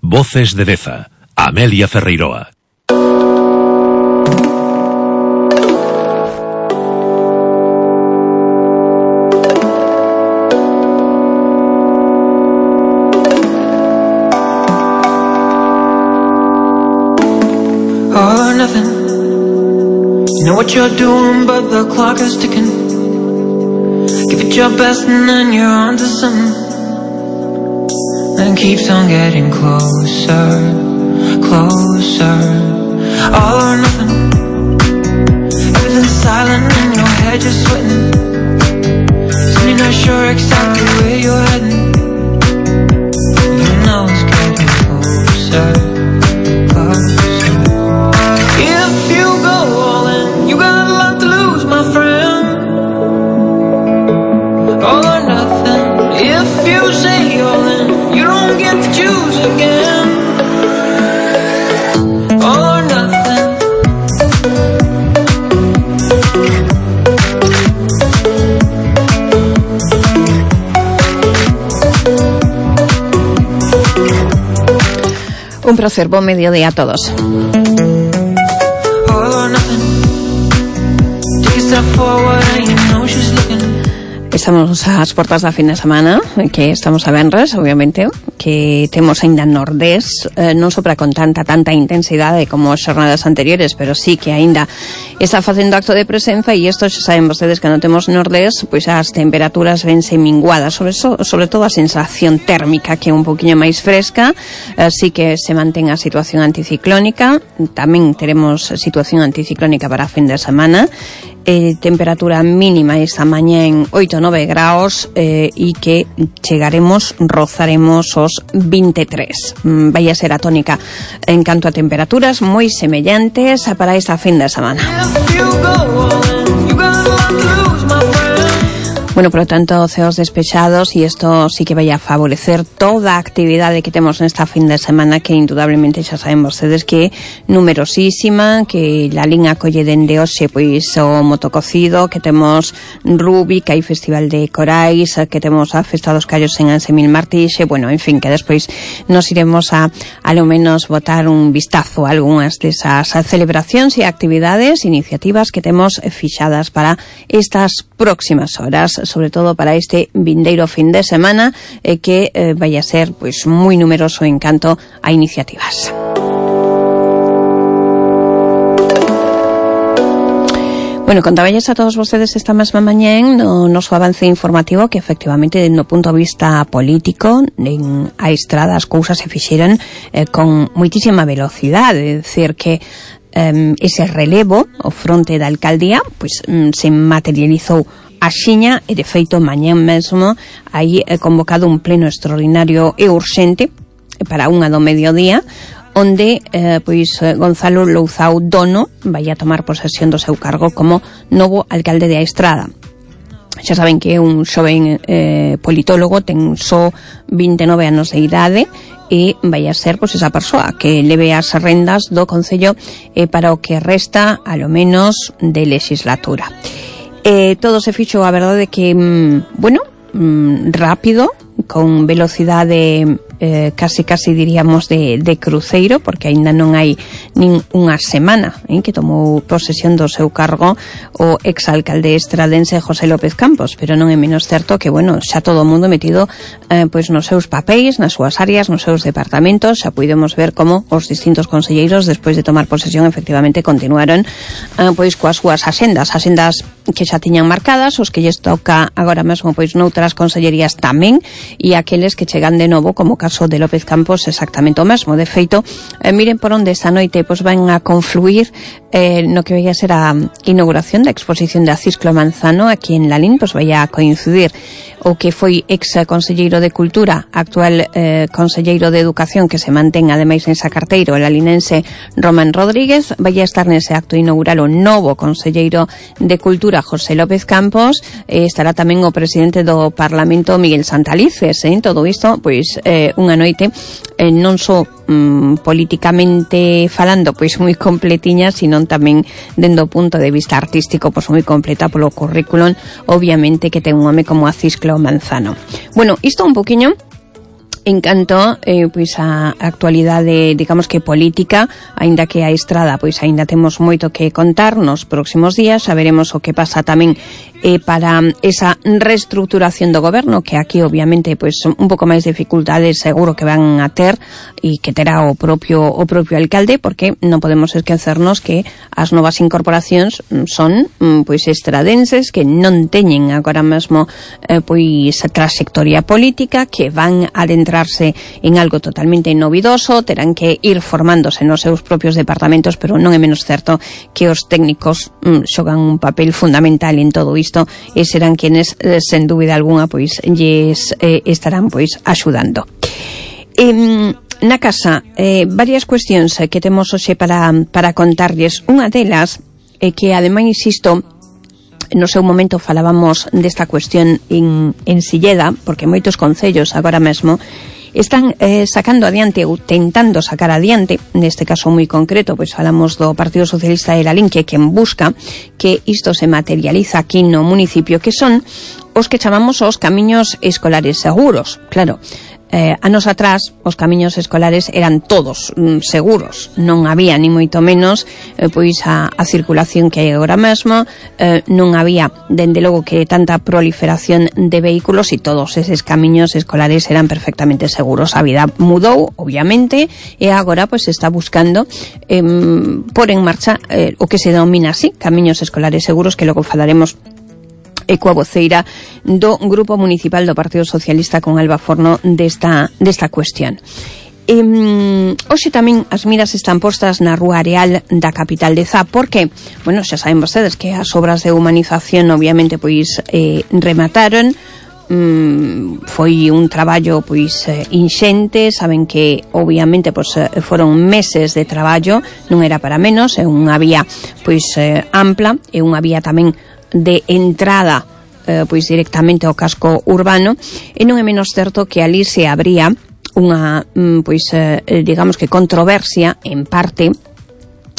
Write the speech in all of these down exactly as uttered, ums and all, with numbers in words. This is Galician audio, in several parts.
Voces de Deza, Amelia Ferreiroa. All or nothing. You know what you're doing, but the clock is ticking. Give it your best and then you're on to something. And it keeps on getting closer, closer. All or nothing. Everything's silent and your head just sweating. So you're not sure exactly where you're heading. You know it's getting closer, closer. If you go all in, you got a lot to lose, my friend. All or nothing. If you say all in, you don't get to choose again. All or nothing. Un placer, buen mediodía a todos. All or nothing. Take a step forward and you know she's looking. Estamos ás portas da fin de semana, que estamos a venres, obviamente, que temos aínda nordés, eh, non só para con tanta, tanta intensidade como as xornadas anteriores, pero sí que aínda está facendo acto de presenza, e isto xa saben vostedes que non temos nordés, pois as temperaturas vense minguadas, sobre, so, sobre todo a sensación térmica, que é un poquinho máis fresca, así que se mantén a situación anticiclónica, tamén teremos situación anticiclónica para a fin de semana, eh, temperatura mínima esta mañá en oito nove graus eh, e que chegaremos, rozaremos os veintitrés. Mm, vai a ser a tónica en canto a temperaturas moi semellantes para esta fin de semana. Bueno, por lo tanto, ceos despechados, y esto sí que vai a favorecer toda a actividade que temos nesta fin de semana, que indudablemente xa saben vostedes que é numerosísima, que la liña colle dende hoxe pois o motococido, que temos Rubi, que hai Festival de Corais, que temos a Festa dos Callos en Ansemil Martixe, bueno, en fin, que despois nos iremos a, a lo menos, botar un vistazo a algunhas desas celebracións e actividades, iniciativas que temos fixadas para estas próximas horas, sobre todo para este vindeiro fin de semana, eh, que eh, vai a ser pois moi numeroso en canto a iniciativas. Bueno, contaballes a todos vostedes esta mesma mañén no noso avance informativo que efectivamente no punto de vista político en a estrada as cousas se fixeron eh, con moitísima velocidade, é dicir que Um, ese relevo ao fronte da alcaldía pois um, se materializou axiña e de feito mañán mesmo hai eh, convocado un pleno extraordinario e urxente para unha do mediodía onde eh, pois Gonzalo Louzao Dono vai a tomar posesión do seu cargo como novo alcalde de A Estrada. Xa saben que é un xoven eh, politólogo, ten só veintinueve anos de idade e vai a ser pois esa persoa que leve as rendas do Concello eh, para o que resta a lo menos de legislatura. Eh, todo se fixo, a verdade que mm, bueno, mm, rápido, con velocidade eh, casi casi diríamos de, de cruceiro, porque aínda non hai nin unha semana eh, que tomou posesión do seu cargo o exalcalde estradense José López Campos, pero non é menos certo que, bueno, xa todo o mundo metido eh, pois nos seus papéis, nas súas áreas, nos seus departamentos. Xa podemos ver como os distintos conselleiros, despois de tomar posesión, efectivamente continuaron eh, pois coas súas axendas, axendas que xa tiñan marcadas, os que lles toca agora mesmo pois noutras consellerías tamén, e aqueles que chegan de novo, como caso de López Campos, exactamente o mesmo. De feito, eh, miren por onde esta noite pois van a confluir eh, no que vai a ser a inauguración da exposición de Cisclo Manzano aquí en Lalín, pois vai a coincidir o que foi ex conselleiro de Cultura, actual eh, conselleiro de Educación, que se mantén ademais nesa carteira, o lalinense Román Rodríguez. Vai a estar nese acto inaugural o novo conselleiro de Cultura, José López Campos. Eh, estará tamén o presidente do Parlamento, Miguel Santalices. Eh, todo isto, pois, eh, unha noite eh, non só mm, políticamente falando, pois moi completiña, sino tamén dendo o punto de vista artístico, pois moi completa polo currículum, obviamente, que ten un home como a Cisclo Manzano. Bueno, isto un poquinho En canto, eh, pois a actualidade, digamos que política, aínda que a estrada, pois aínda temos moito que contar nos próximos días, saberemos o que pasa tamén eh, para esa reestructuración do goberno, que aquí obviamente pois un pouco máis dificultades seguro que van a ter e que terá o propio o propio alcalde, porque non podemos esquecernos que as novas incorporacións son pois estradenses que non teñen agora mesmo eh, pois a trayectoria política, que van a adentrar en algo totalmente novidoso, terán que ir formándose nos seus propios departamentos, pero non é menos certo que os técnicos mm, xogan un papel fundamental en todo isto e serán quienes, eh, sen dúbida alguna, pois lles eh, estarán pois axudando. Eh, na casa, eh, varias cuestións que temos hoxe para, para contarlles. Unha delas é que, ademais, insisto, no seu momento falábamos desta cuestión en, en Silleda, porque moitos concellos agora mesmo están eh, sacando adiante ou tentando sacar adiante, neste caso moi concreto, pois falamos do Partido Socialista de Lalín, que quen busca que isto se materializa aquí no municipio, que son os que chamamos os camiños escolares seguros. Claro, Eh, anos atrás os camiños escolares eran todos mm, seguros, non había ni moito menos eh, pois a, a circulación que hai agora mesmo, eh, non había dende logo que tanta proliferación de vehículos e todos eses camiños escolares eran perfectamente seguros. A vida mudou, obviamente, e agora pois se está buscando eh, por en marcha eh, o que se denomina así, camiños escolares seguros, que logo falaremos e coa voceira do Grupo Municipal do Partido Socialista con Alba Forno desta, desta cuestión. E, hoxe tamén as miras están postas na Rúa Areal da capital de Zá, porque, bueno, xa saben vostedes que as obras de humanización obviamente pois eh, remataron. Mm, foi un traballo pois eh, inxente, saben que obviamente pois eh, foron meses de traballo, non era para menos, é unha vía pois eh, ampla, e unha vía tamén de entrada eh, pois directamente ao casco urbano, e non é menos certo que ali se abría unha pois eh, digamos que controversia en parte,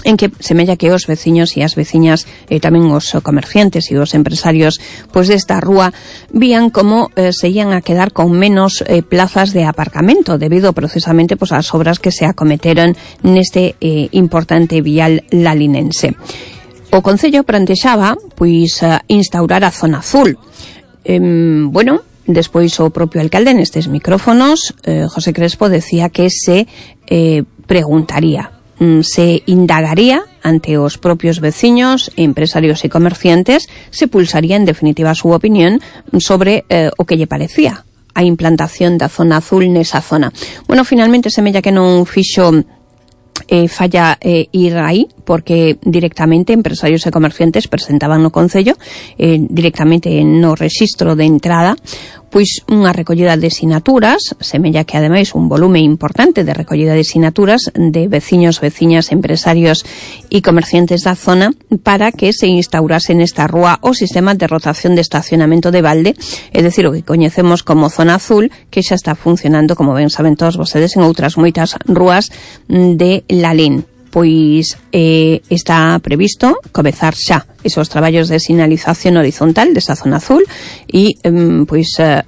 en que semella que os veciños e as veciñas e tamén os comerciantes e os empresarios pois desta rúa vían como eh, se ian a quedar con menos eh, plazas de aparcamento debido precisamente pois ás obras que se acometeron neste eh, importante vial lalinense. O Concello plantexaba pois instaurar a zona azul. Eh, bueno, despois o propio alcalde nestes micrófonos, eh, José Crespo, decía que se eh, preguntaría, se indagaría ante os propios veciños, empresarios e comerciantes, se pulsaría en definitiva a súa opinión sobre eh, o que lle parecía a implantación da zona azul nesa zona. Bueno, finalmente semella que non fixo Eh, falla eh, ir aí, porque directamente empresarios e comerciantes presentaban no Concello eh, directamente no rexistro de entrada pois unha recollida de sinaturas, semella que ademais un volume importante de recollida de sinaturas de veciños, veciñas, empresarios e comerciantes da zona, para que se instaurase nesta rúa o sistema de rotación de estacionamento de balde, é dicir, o que coñecemos como zona azul, que xa está funcionando, como ben saben todos vostedes, en outras moitas rúas de Lalín. Pois eh, está previsto comezar xa esos traballos de sinalización horizontal desa zona azul e eh, pois eh,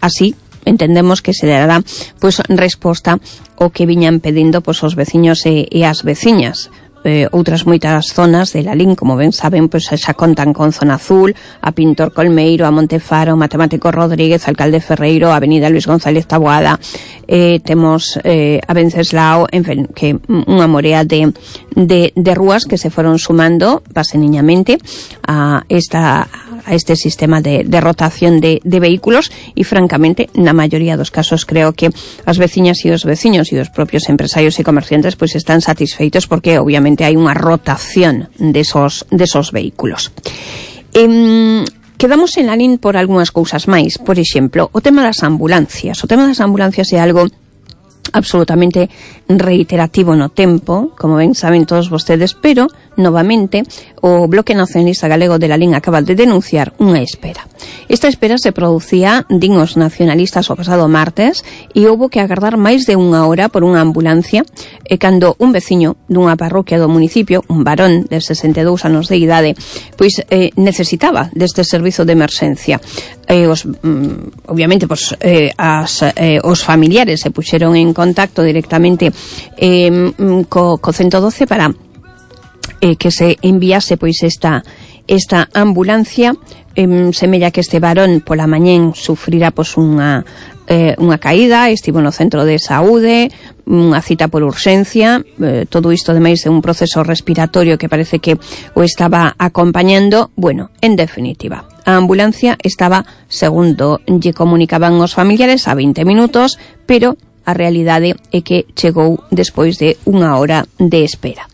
así entendemos que se dará pois resposta ao que viñan pedindo pois os veciños e, e as veciñas. Eh, outras moitas zonas de Lalín, como ben saben, pois xa contan con zona azul, a Pintor Colmeiro, a Montefaro, Matemático Rodríguez, Alcalde Ferreiro, a Avenida Luis González Taboada, eh, temos eh, a Venceslao, en fin, que unha morea de, de, de rúas que se foron sumando paseniñamente a esta a este sistema de, de rotación de, de vehículos, e francamente na maioría dos casos creo que as veciñas e os veciños e os propios empresarios e comerciantes pois están satisfeitos, porque obviamente hai unha rotación desos, desos vehículos. Eh, quedamos en Lalín por algunhas cousas máis, por exemplo, o tema das ambulancias. O tema das ambulancias é algo absolutamente reiterativo no tempo, como ben saben todos vostedes, pero novamente o Bloque Nacionalista Galego de Lalín acaba de denunciar unha espera. Esta espera se producía, din os nacionalistas, o pasado martes, e houbo que agardar máis de unha hora por unha ambulancia, e cando un veciño dunha parroquia do municipio, un varón de sesenta e dous anos de idade, pois eh, necesitaba deste servizo de emerxencia. eh, os, mm, obviamente pues, eh, as, eh, os familiares se puxeron en contacto directamente eh, co, co ciento doce para eh, que se enviase pois esta esta ambulancia. Eh, semella que este varón pola mañén sufrira pois unha eh, unha caída, estivo no centro de saúde, unha cita por urxencia, eh, todo isto ademais de un proceso respiratorio que parece que o estaba acompañando. Bueno, en definitiva, a ambulancia estaba, segundo lle comunicaban os familiares, a veinte minutos, pero a realidade é que chegou despois de unha hora de espera.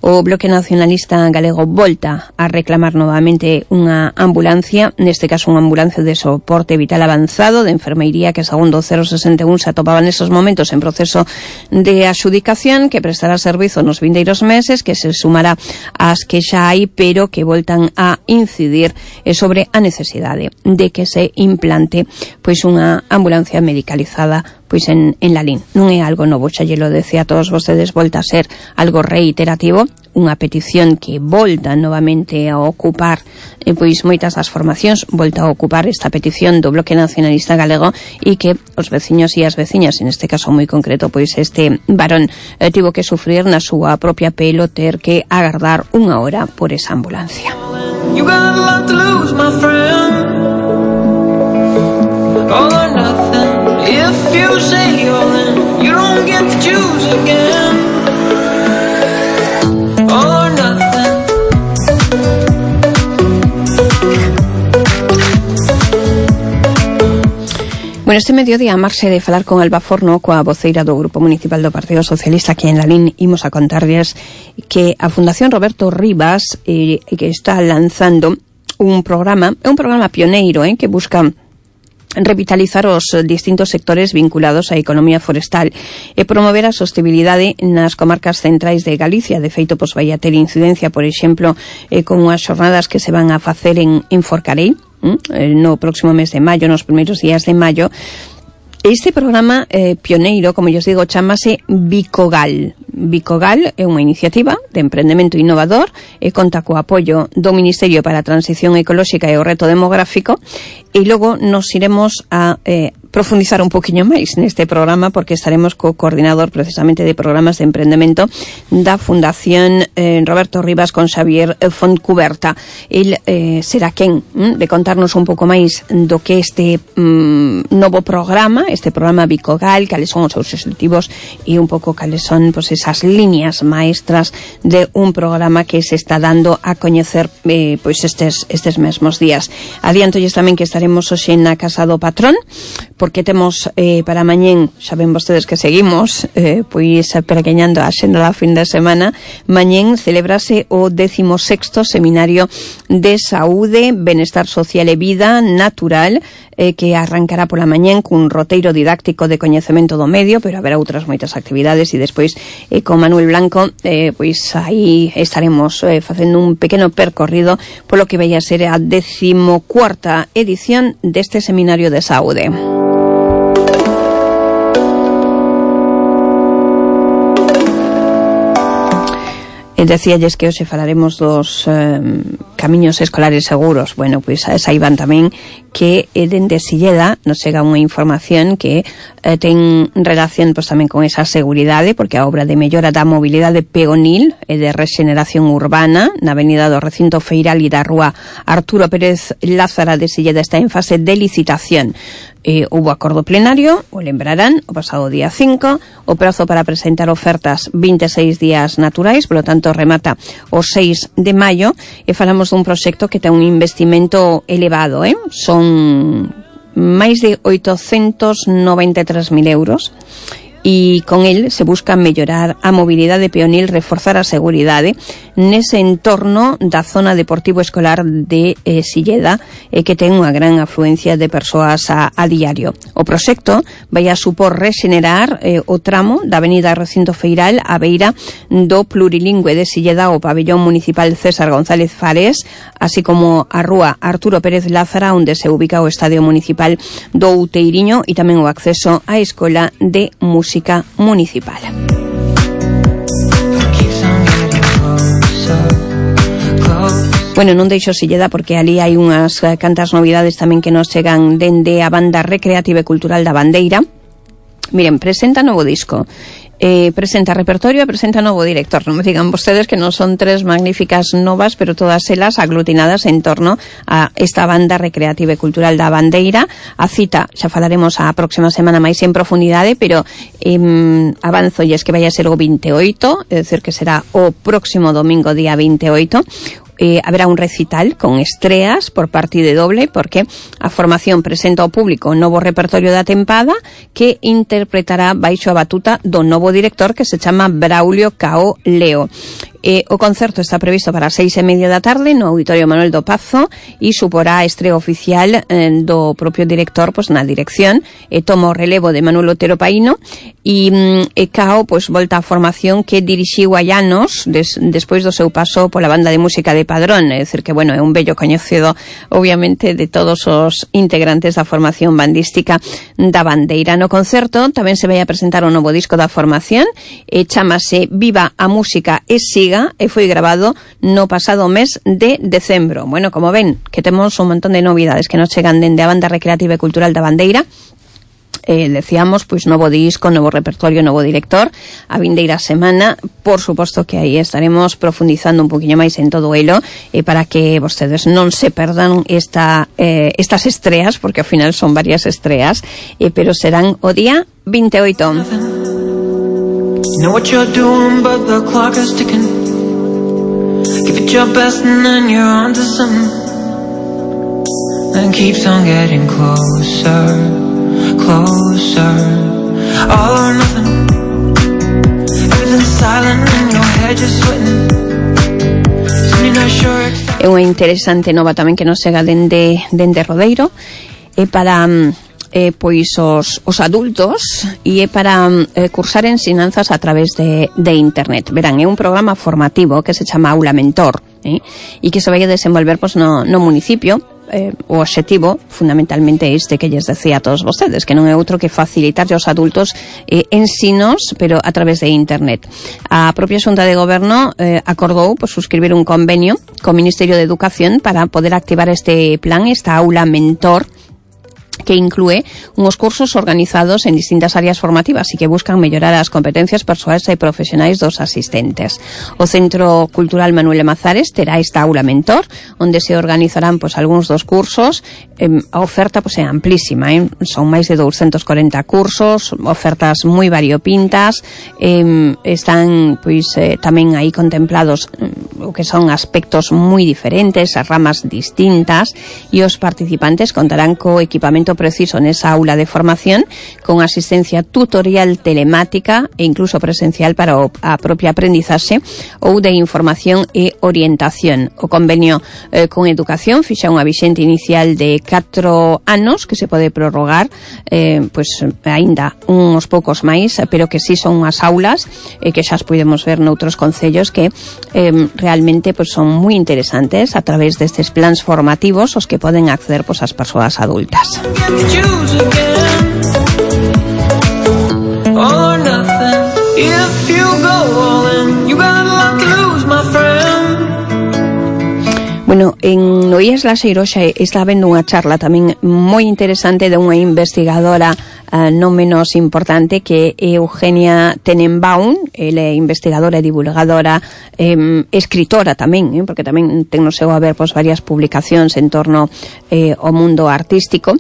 O Bloque Nacionalista Galego volta a reclamar novamente unha ambulancia, neste caso unha ambulancia de soporte vital avanzado de enfermeiría que, segundo o cero sesenta e un, se atopaba nesos momentos en proceso de adxudicación, que prestará servizo nos vindeiros meses, que se sumará ás que xa hai, pero que voltan a incidir sobre a necesidade de que se implante pois unha ambulancia medicalizada pois en, en Lalín. Non é algo novo, xa lle lo decía a todos vostedes, volta a ser algo reiterativo, unha petición que volta novamente a ocupar eh, pois moitas das formacións, volta a ocupar esta petición do Bloque Nacionalista Galego, e que os veciños e as veciñas, en este caso moi concreto, pois este varón eh, tivo que sufrir na súa propia pelo ter que agardar unha hora por esa ambulancia. You got a lot to lose, my friend. All or nothing. If you say all in, you don't get to choose again. All or nothing. Bueno, este mediodía, a marxe de falar con Alba Forno, coa voceira do Grupo Municipal do Partido Socialista aquí en Lalín, imos a contarles que a Fundación Roberto Rivas eh, que está lanzando un programa, é un programa pioneiro eh, que busca revitalizar os distintos sectores vinculados á economía forestal e promover a sostenibilidade nas comarcas centrais de Galicia. De feito, pois vai a ter incidencia, por exemplo, eh, con as xornadas que se van a facer en, en Forcarei eh, no próximo mes de maio, nos primeiros días de maio. Este programa eh, pioneiro, como yo os digo, chamase Bicogal. Bicogal é unha iniciativa de emprendemento innovador e conta co apoio do Ministerio para a Transición Ecolóxica e o Reto Demográfico, e logo nos iremos a eh, profundizar un poquinho máis neste programa, porque estaremos co coordinador precisamente de programas de emprendemento da Fundación eh, Roberto Rivas, con Xavier Fontcuberta. El eh, será quen hm, de contarnos un pouco máis do que este hm, novo programa, este programa Bicogal, cales son os seus objetivos e un pouco cales son pues, esas líneas maestras de un programa que se está dando a coñecer eh, pois estes, estes mesmos días. Adiantolles tamén que estaremos hoxe na Casa do Patrón, porque temos eh, para mañén, xa ven vostedes que seguimos eh, pois perequeñando a xenda da fin de semana. Mañén celebrase o décimo sexto Seminario de Saúde, Benestar Social e Vida Natural, eh, que arrancará pola mañén cun roteiro didáctico de coñecemento do medio, pero haberá outras moitas actividades, e despois eh, con Manuel Blanco eh, pois aí estaremos eh, facendo un pequeno percorrido polo que vai a ser a décimo cuarta edición deste Seminario de Saúde. E decíalles que hoxe falaremos dos eh, camiños escolares seguros. Bueno, pois pues, saiban tamén que eh, dende Silleda nos chega unha información que eh, ten relación pois, tamén con esa seguridade, porque a obra de mellora da mobilidade peonil e de rexeneración urbana na avenida do Recinto Feiral e da rúa Arturo Pérez Lázara de Silleda está en fase de licitación. Eh, houbo acordo plenario, o lembrarán, o pasado día cinco, o prazo para presentar ofertas vinte e seis días naturais, polo tanto remata o seis de maio, e falamos dun proxecto que ten un investimento elevado, eh? Son máis de oitocentos noventa e tres mil euros, e con el se busca mellorar a mobilidade peonil, reforzar a seguridade nese entorno da zona deportivo escolar de eh, Silleda, eh, que ten unha gran afluencia de persoas a, a diario. O proxecto vai a supor rexenerar eh, o tramo da avenida Recinto Feiral a beira do plurilingüe de Silleda, o pabellón municipal César González Fares, así como a rúa Arturo Pérez Lázara, onde se ubica o estadio municipal do Outeiriño, e tamén o acceso á Escola de Música Municipal. Close, close. Bueno, non deixo se lle dá porque ali hai unhas cantas novidades tamén que nos chegan dende a banda recreativa e cultural da Bandeira. Miren, presenta novo disco, eh, presenta repertorio e presenta novo director. Non me digan vostedes que non son tres magníficas novas, pero todas elas aglutinadas en torno a esta banda recreativa e cultural da Bandeira. A cita xa falaremos a próxima semana máis en profundidade, pero eh, avanzo e es que vai a ser o veintioito, é dicir que será o próximo domingo día veintioito. Eh, haberá un recital con estreas por partida doble porque a formación presenta ao público o novo repertorio da tempada que interpretará baixo a batuta do novo director que se chama Braulio Cao Leo. Eh, o concerto está previsto para as seis e media da tarde no Auditorio Manuel do Pazo e suporá a estreo oficial eh, do propio director pois, na dirección e eh, toma o relevo de Manuel Otero Paíno e eh, Cao pois, volta á formación que dirixiu hai anos des, despois do seu paso pola banda de música de Padrón, é dicir que bueno, é un bello coñecido obviamente de todos os integrantes da formación bandística da Bandeira. No concerto tamén se vai a presentar o novo disco da formación e eh, chamase Viva a Música e Siga e foi grabado no pasado mes de decembro. Bueno, como ven, que temos un montón de novidades que nos chegan dende a banda recreativa e cultural da Bandeira. Eh, decíamos, pois novo disco, novo repertorio, novo director, a vindeira semana, por suposto que aí estaremos profundizando un poquinho máis en todo elo, eh, para que vostedes non se perdan esta, eh, estas estreas, porque ao final son varias estreas, eh, pero serán o día veintioito. Know what you're doing, but the clock is ticking. Give it your best and then you're on to something. And keeps on getting closer, closer. All or nothing. Everything's silent and your head just sweating. Soon you're not sure exactly. É unha interesante nova tamén que nos chega dende, dende Rodeiro. É para... Eh, pois os, os adultos e é para eh, cursar ensinanzas a través de, de internet. Verán, é un programa formativo que se chama Aula Mentor eh, e que se vai a desenvolver pois, no, no municipio. Eh, o obxectivo fundamentalmente este que lles decía a todos vostedes, que non é outro que facilitar aos adultos eh, ensinos, pero a través de internet. A propia Xunta de Goberno eh, acordou pois, suscribir un convenio co Ministerio de Educación para poder activar este plan, esta Aula Mentor, que inclúe unos cursos organizados en distintas áreas formativas e que buscan mellorar as competencias persoais e profesionais dos asistentes. O Centro Cultural Manuel Mazares terá esta aula mentor, onde se organizarán pois, algúns dos cursos. Eh, a oferta pois, é amplísima, eh? Son máis de doscientos corenta cursos, ofertas moi variopintas, eh, están pois eh, tamén aí contemplados eh, o que son aspectos moi diferentes, as ramas distintas, e os participantes contarán co equipamento preciso nesa aula de formación con asistencia tutorial telemática e incluso presencial para a propia aprendizaxe ou de información e orientación. O convenio eh, con educación fixa unha vixente inicial de catro anos que se pode prorrogar eh, pois aínda uns poucos máis, pero que si sí son unhas aulas eh, que xa as podemos ver noutros concellos que eh, realmente pois, son moi interesantes a través destes plans formativos os que poden acceder pois, as persoas adultas. Choose again. All or nothing. If you go all in, you got a lot to lose, my friend. Bueno, en no I E S Laxeiro xa está habendo unha charla tamén moi interesante de unha investigadora uh, non menos importante que é Eugenia Tenenbaum. Ela é investigadora e divulgadora, eh, escritora tamén, eh, porque tamén ten no seu haber pois, varias publicacións en torno eh, ao mundo artístico.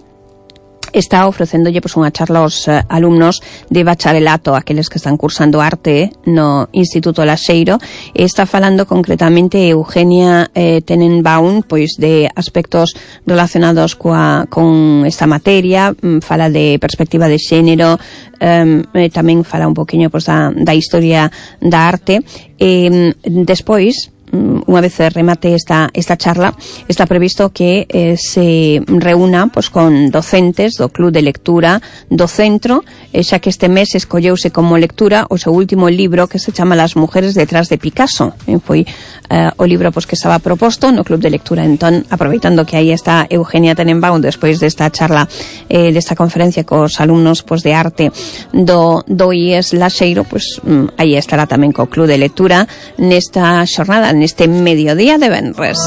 Está ofrecendolle pois, unha charla aos uh, alumnos de bacharelato, aqueles que están cursando arte no Instituto Laxeiro, e está falando concretamente Eugenia eh, Tenenbaum pois de aspectos relacionados coa, con esta materia, fala de perspectiva de xénero, um, e tamén fala un poquinho pois, da, da historia da arte, e despois unha vez remate esta, esta charla, está previsto que eh, se reúna pues, con docentes do Club de Lectura do Centro, eh, xa que este mes escolleuse como lectura o seu último libro que se chama Las mujeres detrás de Picasso. Eh, foi eh, o libro pues, que estaba proposto no Club de Lectura. Entón, aproveitando que aí está Eugenia Tenenbaum despois desta charla, eh, desta conferencia cos alumnos pues, de arte do, do I E S Laxeiro, pues, aí estará tamén co Club de Lectura nesta xornada, neste mediodía de venres.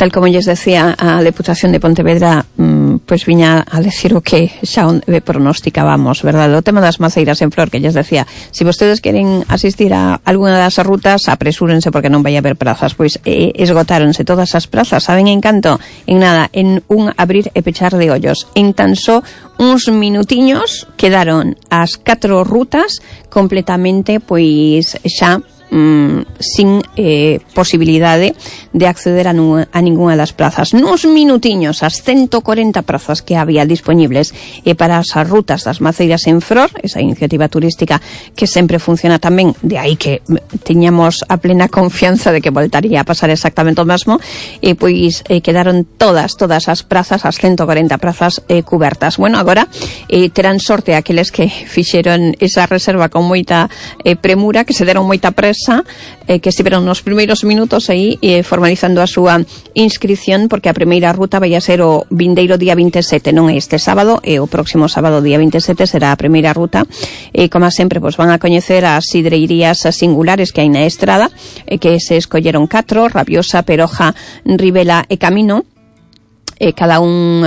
Tal como lles decía, a Deputación de Pontevedra mmm, pues viña a decir o que xa pronosticábamos, verdad? O tema das maceiras en flor, que lles decía, se si vostedes queren asistir a alguna das rutas, apresúrense porque non vai haber prazas. Pois eh, esgotáronse todas as prazas, saben en canto? En nada, en un abrir e pechar de ollos. En tan só uns minutiños quedaron as catro rutas completamente pois xa Mm, sin eh, posibilidade de acceder a, nu, a ninguna das plazas. Nuns minutiños, as ciento cuarenta prazas que había disponibles e eh, para as rutas das maceiras en flor, esa iniciativa turística que sempre funciona tamén, de aí que teñamos a plena confianza de que voltaría a pasar exactamente o mesmo, e eh, pois eh, quedaron todas, todas as prazas, as ciento cuarenta prazas eh, cubertas. Bueno, agora eh, terán sorte aqueles que fixeron esa reserva con moita eh, premura, que se deron moita presa, Eh, que estiveron nos primeiros minutos aí eh, formalizando a súa inscripción, porque a primeira ruta vai a ser o vindeiro día veintisiete, non é este sábado, e o próximo sábado día veintisiete será a primeira ruta. E como sempre, pues, van a coñecer as sidreirías singulares que hai na estrada, e que se escolleron catro: Rabiosa, Peroja, Ribela e Camino. E cada un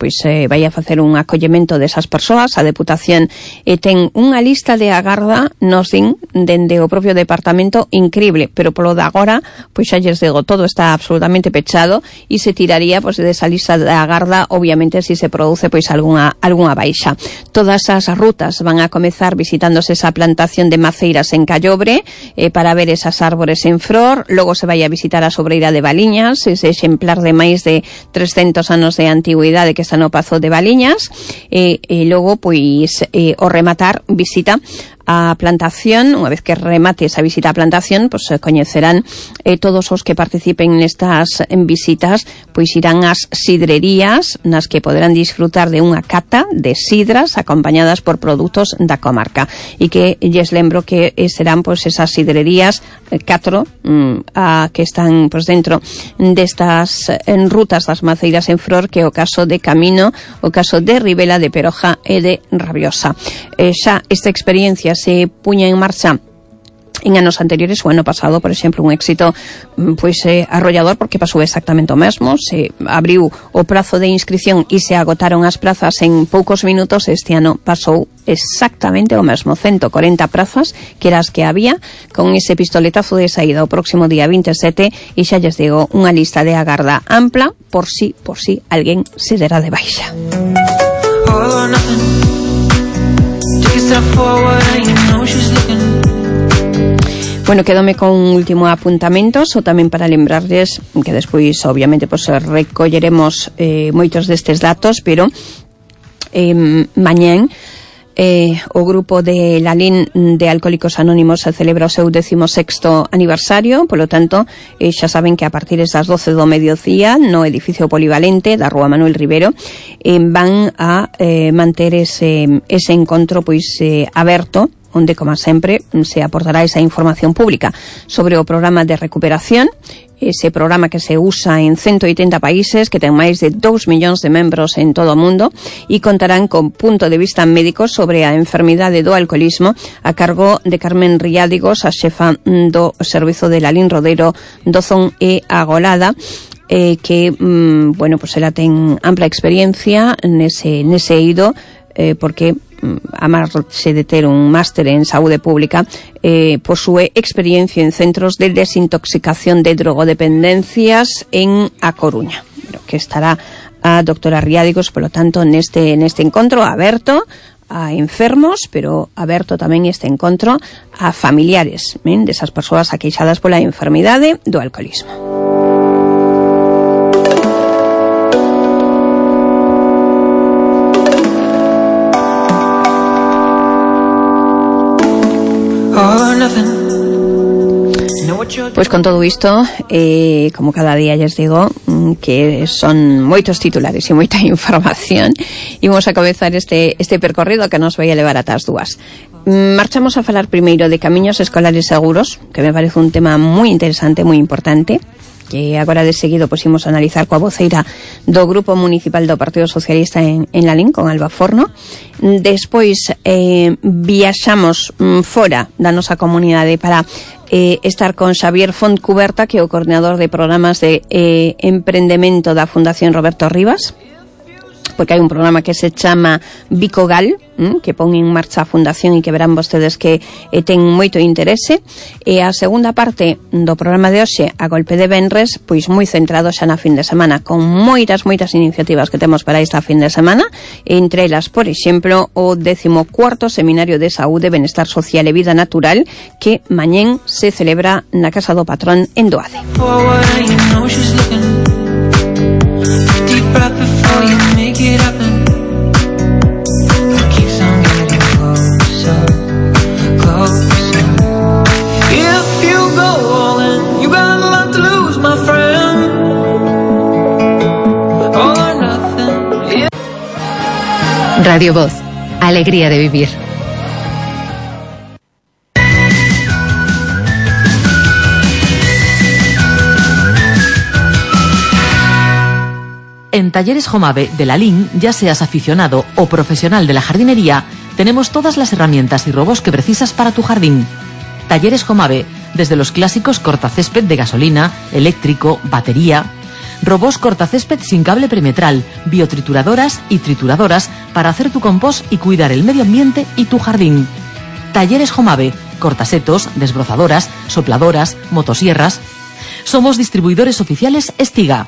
pois eh, vai a facer un acollemento desas persoas. A Deputación eh, ten unha lista de agarda, nos din, dende o propio departamento, increíble, pero polo de agora, pois xa lles digo, todo está absolutamente pechado e se tiraría pois desa lista de agarda, obviamente, se si se produce pois algunha algunha baixa. Todas as rutas van a comezar visitándose esa plantación de maceiras en Callobre eh, para ver esas árbores en flor. Logo se vai a visitar a sobreira de Baliñas, ese exemplar de máis de trescentos anos de antigüidade que está no Pazo de Baliñas, e, e logo pois e, o rematar visita a plantación. Unha vez que remate esa visita a plantación, pois coñecerán eh, todos os que participen nestas en visitas, pois irán ás sidrerías nas que poderán disfrutar de unha cata de sidras acompañadas por produtos da comarca, e que lles lembro que eh, serán pois esas sidrerías eh, catro mm, a, que están pois dentro destas en rutas das maceiras en flor, que é o caso de Camino, o caso de Ribela, de Peroja e de Rabiosa. Eh, xa esta experiencia se puña en marcha en anos anteriores, o ano pasado, por exemplo, un éxito pois eh, arrollador, porque pasou exactamente o mesmo. Se abriu o prazo de inscripción e se agotaron as plazas en poucos minutos. Este ano pasou exactamente o mesmo, ciento cuarenta prazas, que eran as que había, con ese pistoletazo de saída o próximo día veintisiete, e xa lles digo, unha lista de agarda ampla por si, por si alguén se dera de baixa. Bueno, quedome con un último apuntamento, só tamén para lembrarles que despois, obviamente, pues, recolleremos eh, moitos destes datos, pero eh, mañén Eh, o grupo de Lalín de Alcohólicos Anónimos se celebra o seu décimo sexto aniversario. Polo tanto, eh, xa saben que a partir das doce do mediodía no edificio polivalente da Rúa Manuel Rivero eh, van a eh, manter ese, ese encontro pois eh, aberto, onde, como sempre, se aportará esa información pública sobre o programa de recuperación, ese programa que se usa en ciento oitenta países, que ten máis de dous millóns de membros en todo o mundo, e contarán con punto de vista médico sobre a enfermidade do alcoholismo a cargo de Carmen Riádigos, a xefa do Servizo de Lalín Rodeiro, Dozón e Agolada, eh, que, mm, bueno, pues ela ten ampla experiencia nese, nese eido, eh, porque a marxe de ter un máster en saúde pública, eh, posúe experiencia en centros de desintoxicación de drogodependencias en A Coruña, que estará a doctora Riádigos, polo tanto, neste, neste encontro aberto a enfermos, pero aberto tamén este encontro a familiares, ¿eh? desas persoas aqueixadas pola enfermidade do alcoholismo. Pois con todo isto, eh, como cada día lles digo, que son moitos titulares e moita información, e vamos a comezar este, este percorrido que nos vai a levar ata as dúas. Marchamos a falar primeiro de camiños escolares seguros, que me parece un tema moi interesante, moi importante, que agora de seguido pois imos analizar coa voceira do Grupo Municipal do Partido Socialista en, en Lalín, con Alba Forno. Despois eh, viaxamos mm, fora da nosa comunidade para eh, estar con Xavier Fontcuberta, que é o coordinador de programas de eh, emprendemento da Fundación Roberto Rivas, porque hai un programa que se chama Bicogal, hm, que pon en marcha a Fundación e que verán vostedes que eh, ten moito interese. E a segunda parte do programa de hoxe, a golpe de venres, pois moi centrado xa na fin de semana, con moitas, moitas iniciativas que temos para esta fin de semana, entre elas, por exemplo, o décimo cuarto Seminario de Saúde, Benestar Social e Vida Natural, que mañén se celebra na Casa do Patrón en Doade. Deep breath before you make it happen. It keeps on getting closer, closer. If you go all in, you got a lot to lose, my friend. All or nothing. Yeah. Radio Voz, alegría de vivir. En Talleres Jomave de Lalín, ya seas aficionado o profesional de la jardinería, tenemos todas las herramientas y robos que precisas para tu jardín. Talleres Jomave, desde los clásicos cortacésped de gasolina, eléctrico, batería, robos cortacésped sin cable perimetral, biotrituradoras y trituradoras para hacer tu compost y cuidar el medio ambiente y tu jardín. Talleres Jomave, cortasetos, desbrozadoras, sopladoras, motosierras. Somos distribuidores oficiales Estiga.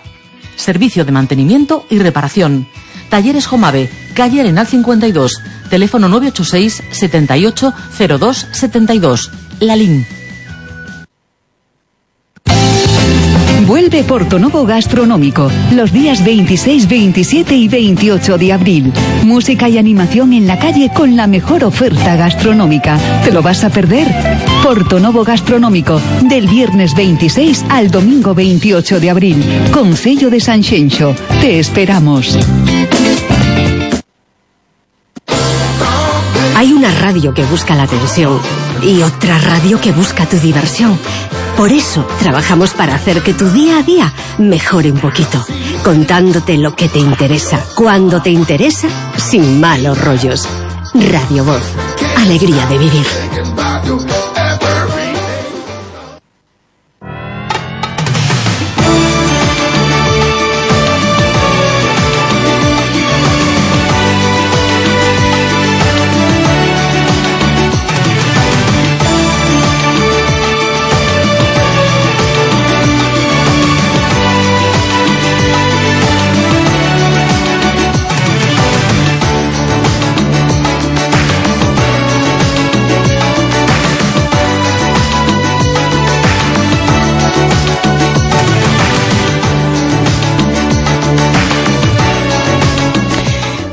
Servicio de mantenimiento y reparación. Talleres Jomave, calle Arenal cincuenta y dos, teléfono nueve ocho seis, setenta y ocho, cero dos, setenta y dos, Lalín. Vuelve Portonovo Gastronómico los días veintiséis, veintisiete y veintiocho de abril. Música y animación en la calle con la mejor oferta gastronómica. ¿Te lo vas a perder? Portonovo Gastronómico, del viernes veintiséis al domingo veintiocho de abril. Concello de Sanxenxo. Te esperamos. Hay una radio que busca la atención y otra radio que busca tu diversión. Por eso trabajamos para hacer que tu día a día mejore un poquito, contándote lo que te interesa, cuando te interesa, sin malos rollos. Radio Voz, alegría de vivir.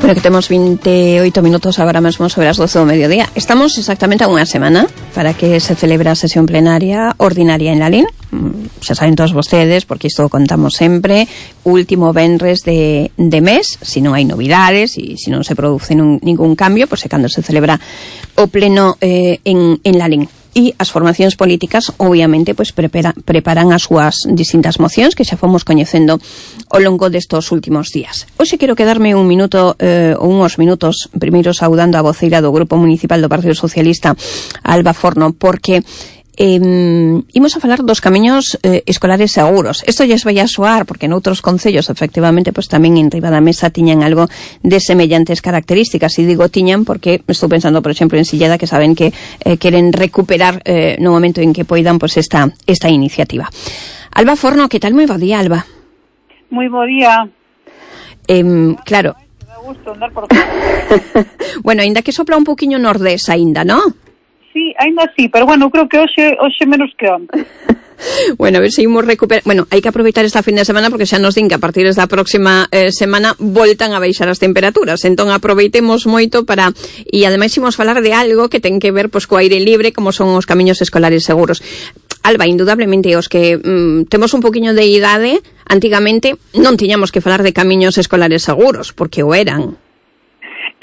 Bueno, que temos veintiocho minutos agora mesmo sobre as doce do mediodía. Estamos exactamente a unha semana para que se celebre a sesión plenaria ordinaria en Lalín. Xa saben todos vostedes, porque isto contamos sempre, último venres de, de mes, se non hai novidades e se non se produce nun, ningún cambio, pois é cando se celebra o pleno eh, en, en Lalín. E as formacións políticas, obviamente, pois prepara, preparan as súas distintas mocións que xa fomos coñecendo ao longo destos últimos días. Hoxe quero quedarme un minuto eh, ou unhos minutos primeiro saudando a voceira do Grupo Municipal do Partido Socialista, Alba Forno, porque Eh, imos a falar dos camiños eh, escolares seguros. Isto lles vai a soar porque noutros concellos efectivamente pois tamén en riba da mesa tiñan algo de semellantes características, e digo tiñan porque estou pensando por exemplo en Silleda, que saben que eh, queren recuperar eh, no momento en que poidan pois esta, esta iniciativa. Alba Forno, que tal? Moi bo día, Alba. Moi bo día. Eh, claro. Me dá gusto andar por Bueno, ainda que sopla un poquinho nordés aínda, ¿no? Sí, ainda sí, pero bueno, creo que hoxe hoxe menos que onte. Bueno, a ver se imos recuperar. Bueno, hai que aproveitar esta fin de semana porque xa nos din que a partir da próxima eh, semana voltan a baixar as temperaturas. Entón aproveitemos moito para, e ademais imos falar de algo que ten que ver pois co aire libre, como son os camiños escolares seguros. Alba, indudablemente os que mm, temos un poquinho de idade, antigamente non tiñamos que falar de camiños escolares seguros, porque o eran.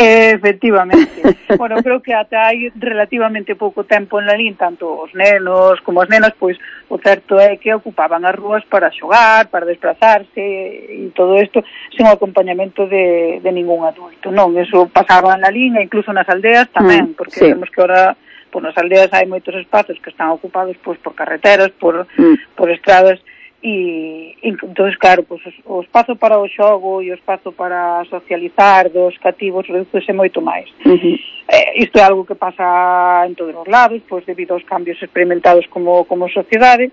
Efectivamente. Bueno, creo que ata hai relativamente pouco tempo en Lalín, tanto os nenos como as nenas, pois o certo é que ocupaban as rúas para xogar, para desplazarse e todo isto sen o acompañamento de, de ningún adulto, non? Eso pasaba en Lalín e incluso nas aldeas tamén, porque sí. vemos que ahora pois nas aldeas hai moitos espazos que están ocupados pois por carreteras, por, mm. por estradas. E, entón, claro, pues, o espazo para o xogo e o espazo para socializar dos cativos reduce moito máis. Uh-huh. Eh, isto é algo que pasa en todos os lados, pois debido aos cambios experimentados como, como sociedade,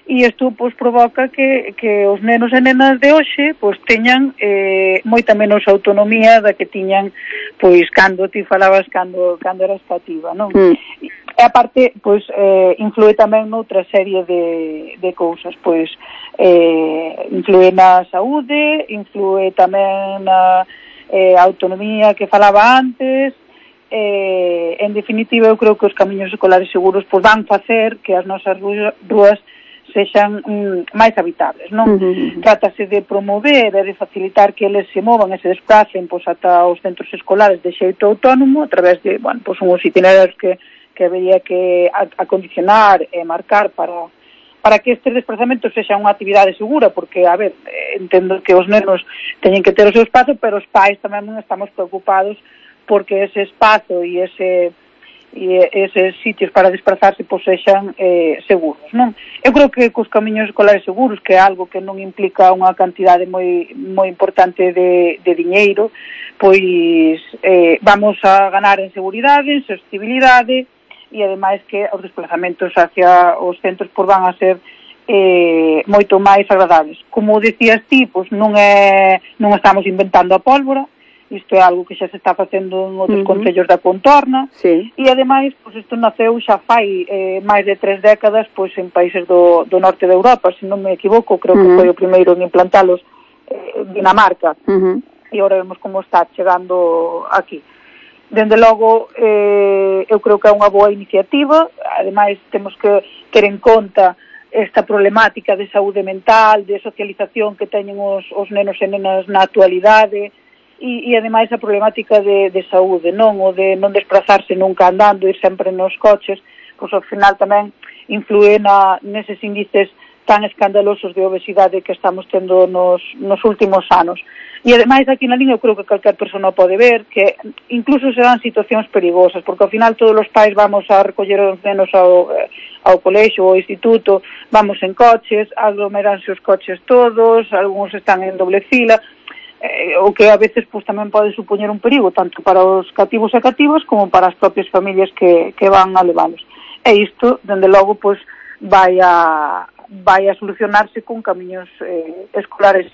e isto pois provoca que, que os nenos e nenas de hoxe pois teñan eh, moita menos autonomía da que tiñan pois cando ti falabas cando, cando eras cativa, non? Uh-huh. E aparte, pois, eh, influe tamén noutra serie de, de cousas, pois, eh, influe na saúde, influe tamén na eh, autonomía que falaba antes, eh, en definitiva, eu creo que os camiños escolares seguros pois, van facer que as nosas rúas sexan mm, máis habitables, non? Uh-huh. Trátase de promover e de facilitar que eles se movan e se desplacen pois, ata os centros escolares de xeito autónomo a través de, bueno, pois, uns itinerarios que que habería que acondicionar e marcar para para que estes desplazamentos sexan unha actividade segura, porque, a ver, entendo que os nenos teñen que ter o seu espazo, pero os pais tamén estamos preocupados porque ese espazo e ese e eses sitios para desplazarse pois sexan eh, seguros, non? Eu creo que cos camiños escolares seguros, que é algo que non implica unha cantidade moi moi importante de, de diñeiro, pois eh, vamos a ganar en seguridade, en sostenibilidade, e ademais que os desplazamentos hacia os centros por van a ser eh, moito máis agradables. Como decías ti, pois non é non estamos inventando a pólvora, isto é algo que xa se está facendo en outros uh-huh. concellos da contorna, sí. E ademais, pois isto naceu xa fai eh, máis de tres décadas pois en países do, do norte de Europa, se non me equivoco, creo uh-huh. que foi o primeiro en implantalos eh, Dinamarca, uh-huh. e agora vemos como está chegando aquí. Dende logo, eh, eu creo que é unha boa iniciativa, ademais temos que ter en conta esta problemática de saúde mental, de socialización que teñen os, os nenos e nenas na actualidade, e, e ademais a problemática de, de saúde, non? O de non desplazarse nunca andando, ir sempre nos coches, pois ao final tamén influe na, neses índices tan escandalosos de obesidade que estamos tendo nos, nos últimos anos. E ademais aquí na liña eu creo que calquer persona pode ver que incluso se dan situacións perigosas, porque ao final todos os pais vamos a recoller os nenos ao, ao colexo, ao instituto, vamos en coches, aglomeranse os coches todos, algúns están en doble fila, eh, o que a veces pues, tamén pode supoñer un perigo, tanto para os cativos e cativas como para as propias familias que, que van a leválos. E isto, dende logo, pues, vai a vai a solucionarse con camiños eh, escolares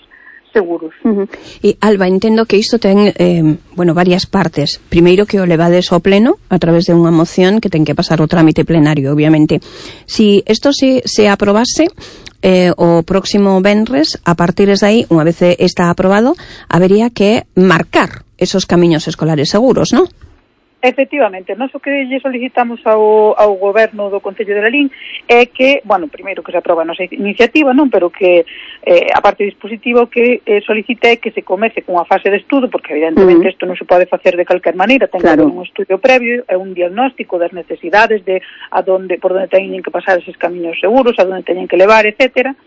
seguros. Uh-huh. E Alba, entendo que isto ten eh, bueno, varias partes. Primeiro que o levades ao pleno a través de unha moción que ten que pasar o trámite plenario, obviamente. Si isto se, se aprobase eh, o próximo venres, a partir de aí, unha vez está aprobado, habería que marcar esos camiños escolares seguros, non? Efectivamente, nós o que lle solicitamos ao, ao goberno do Concello de Lalín é que, bueno, primeiro que se aproba a nosa iniciativa, non, pero que eh, a parte dispositiva que eh, solicite que se comece cunha fase de estudo, porque evidentemente isto uh-huh. non se pode facer de calquer maneira, ten claro. que haber un estudio previo, é un diagnóstico das necesidades de a donde, por onde teñen que pasar eses camiños seguros, a donde teñen que levar, etcétera.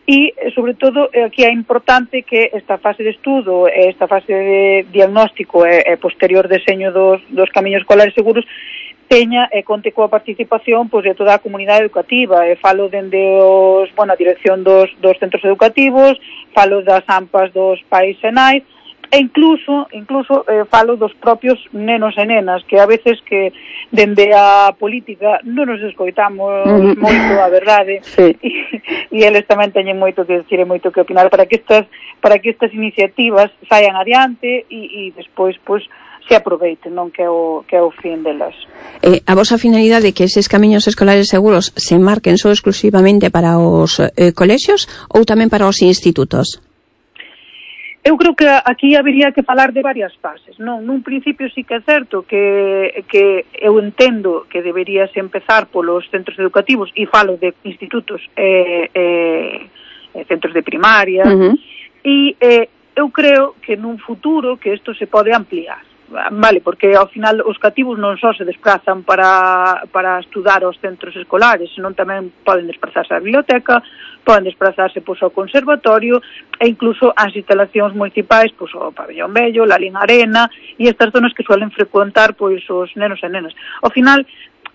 E, sobre todo, aquí é importante que esta fase de estudo, esta fase de diagnóstico e, e posterior deseño dos, dos camiños escolares seguros teña e conte coa participación pois, de toda a comunidade educativa. E falo dende os, bueno, a dirección dos, dos centros educativos, falo das AMPAs dos pais e nais, e incluso, incluso eh, falo dos propios nenos e nenas, que a veces que dende a política non nos escoitamos uh-huh. moito, a verdade, sí. e, e eles tamén teñen moito que decir e moito que opinar para que estas para que estas iniciativas saian adiante e, e despois, pois, se aproveiten, non, que é o, que é o fin delas. Eh, a vosa finalidade é que eses camiños escolares seguros se marquen só exclusivamente para os eh, colexios ou tamén para os institutos? Eu creo que aquí habería que falar de varias fases, non? Nun principio sí que é certo que, que eu entendo que deberíase empezar polos centros educativos e falo de institutos e eh, eh, centros de primaria uh-huh. e eh, eu creo que nun futuro que isto se pode ampliar. vale, porque ao final os cativos non só se desplazan para, para estudar aos centros escolares, senón tamén poden desplazarse á biblioteca, poden desplazarse pois, ao conservatorio e incluso ás instalacións municipais, pois, ao Pabellón Bello, la Lin Arena e estas zonas que suelen frecuentar pois, os nenos e nenas. Ao final,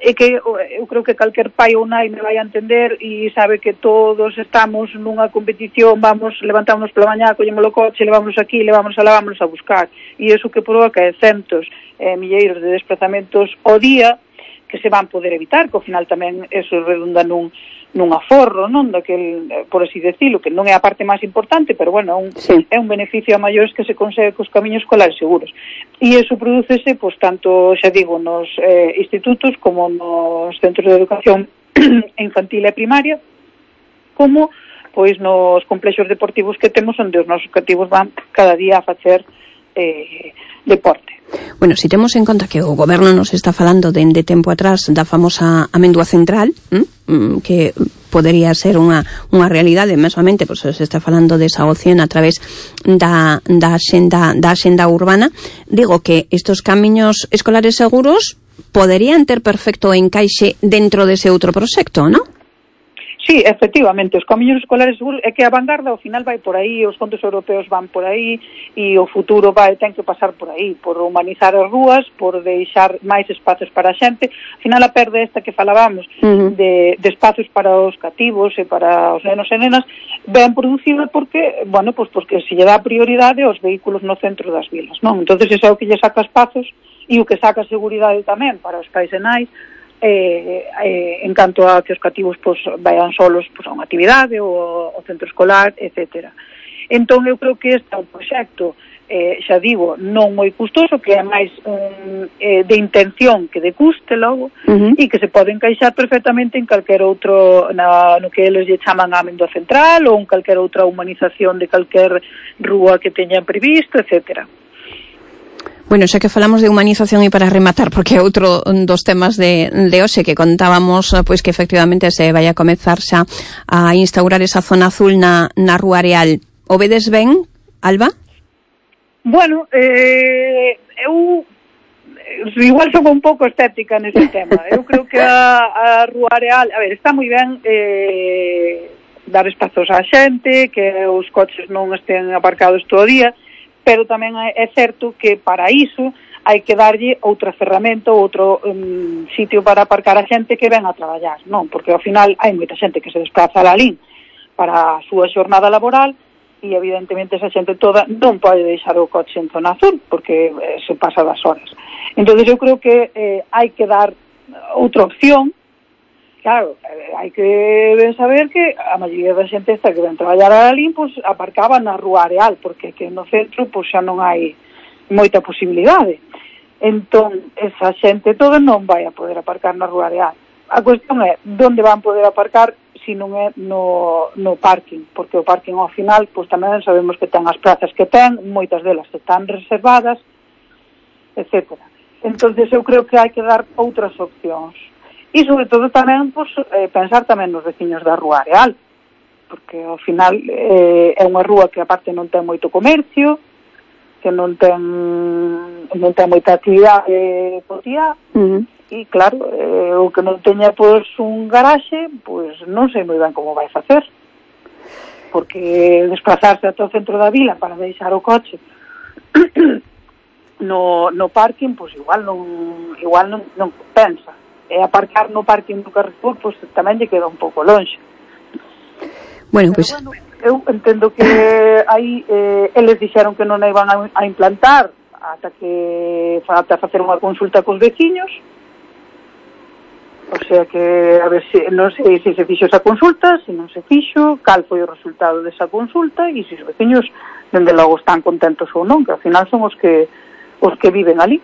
é que eu creo que calquer pai ou nai me vai a entender e sabe que todos estamos nunha competición, vamos, levantámonos pola mañá, collemos o coche, levámonos aquí, levámonos a lá, vámonos a buscar. E iso que provoca é centos, eh, milleiros de desplazamentos ao día que se van poder evitar, que ao final tamén eso redunda nun, nun aforro, non? Daquel, por así decirlo, que non é a parte máis importante, pero bueno, un, sí. é un beneficio a maiores que se consegue cos camiños escolares seguros. E iso prodúcese, pois, tanto, xa digo, nos eh, institutos como nos centros de educación infantil e primaria, como, pois, nos complexos deportivos que temos, onde os nosos cativos van cada día a facer eh, deporte. Bueno, si temos en conta que o goberno nos está falando dende tempo atrás da famosa amendua central, ¿m? que podería ser unha, unha realidade, mesmamente, pois se está falando desa opción a través da, da, xenda, da xenda urbana, digo que estos camiños escolares seguros poderían ter perfecto encaixe dentro dese outro proxecto, non? Sí, efectivamente, os camiños escolares seguros é que a vanguarda ao final vai por aí, os fondos europeos van por aí e o futuro vai ten que pasar por aí, por humanizar as rúas, por deixar máis espazos para a xente. Ao final a perda esta que falábamos uh-huh. de, de espazos para os cativos e para os nenos e nenas ben producida porque, bueno, pues porque se lle dá prioridade aos vehículos no centro das vilas, non? Entonces ese é o que lle saca espazos e o que saca seguridade tamén para os pais e nais. Eh, eh, en canto a que os cativos pues, vayan solos pues, a unha actividade ou ao centro escolar, etcétera. Entón eu creo que este é un proxecto eh, xa digo, non moi custoso, que é máis um, eh, de intención que de custe logo, uh-huh. e que se pode encaixar perfectamente en calquer outro, na, no que eles lle chaman a amendua central ou en calquer outra humanización de calquer rúa que teñan previsto, etcétera. Bueno, xa que falamos de humanización e para rematar, porque é outro dos temas de, de hoxe que contábamos, pois que efectivamente se vai a comezar xa a instaurar esa zona azul na, na Rúa Areal. O vedes ben, Alba? Bueno, eh, eu igual son un pouco estética nese tema. Eu creo que a, a Rúa Areal, a ver, está moi ben eh, dar espazos á xente, que os coches non estén aparcados todo o día, pero tamén é certo que para iso hai que darlle outra ferramenta, outro um, sitio para aparcar a xente que ven a traballar, non? Porque ao final hai moita xente que se desplaza a Lalín para a súa xornada laboral e evidentemente esa xente toda non pode deixar o coche en zona azul porque eh, se pasa das horas. Entón eu creo que eh, hai que dar outra opción. Claro, hai que saber que a maioría da xente esta que ven traballar a Lalín, pois aparcaba na Rúa Areal, porque que no centro pois xa non hai moita posibilidade. Entón, esa xente toda non vai a poder aparcar na Rúa Areal. A cuestión é, onde van poder aparcar se non é no, no parking, porque o parking ao final, pois tamén sabemos que ten as plazas que ten, moitas delas están reservadas, etcétera. Entón, eu creo que hai que dar outras opcións. E, sobre todo, tamén, pues, eh, pensar tamén nos veciños da Rúa Areal, porque, ao final, eh, é unha rúa que, aparte, non ten moito comercio, que non ten non ten moita actividade cotiá, uh-huh. e, claro, eh, o que non teña, pois, un garaxe, pois, non sei moi ben como vai facer, porque desplazarse ata o centro da vila para deixar o coche no, no parking, pois, igual non, igual non, non compensa. E aparcar no parking do Carrefour, pois tamén lle queda un pouco longe. Bueno, pois... Pues... Bueno, eu entendo que aí eh, eles dixeron que non a iban a, a implantar ata que ata facer unha consulta cos veciños. O sea que, a ver, se, non sei se se fixo esa consulta, se non se fixo, cal foi o resultado desa consulta e se os veciños, dende logo, están contentos ou non, que ao final son os que os que viven ali.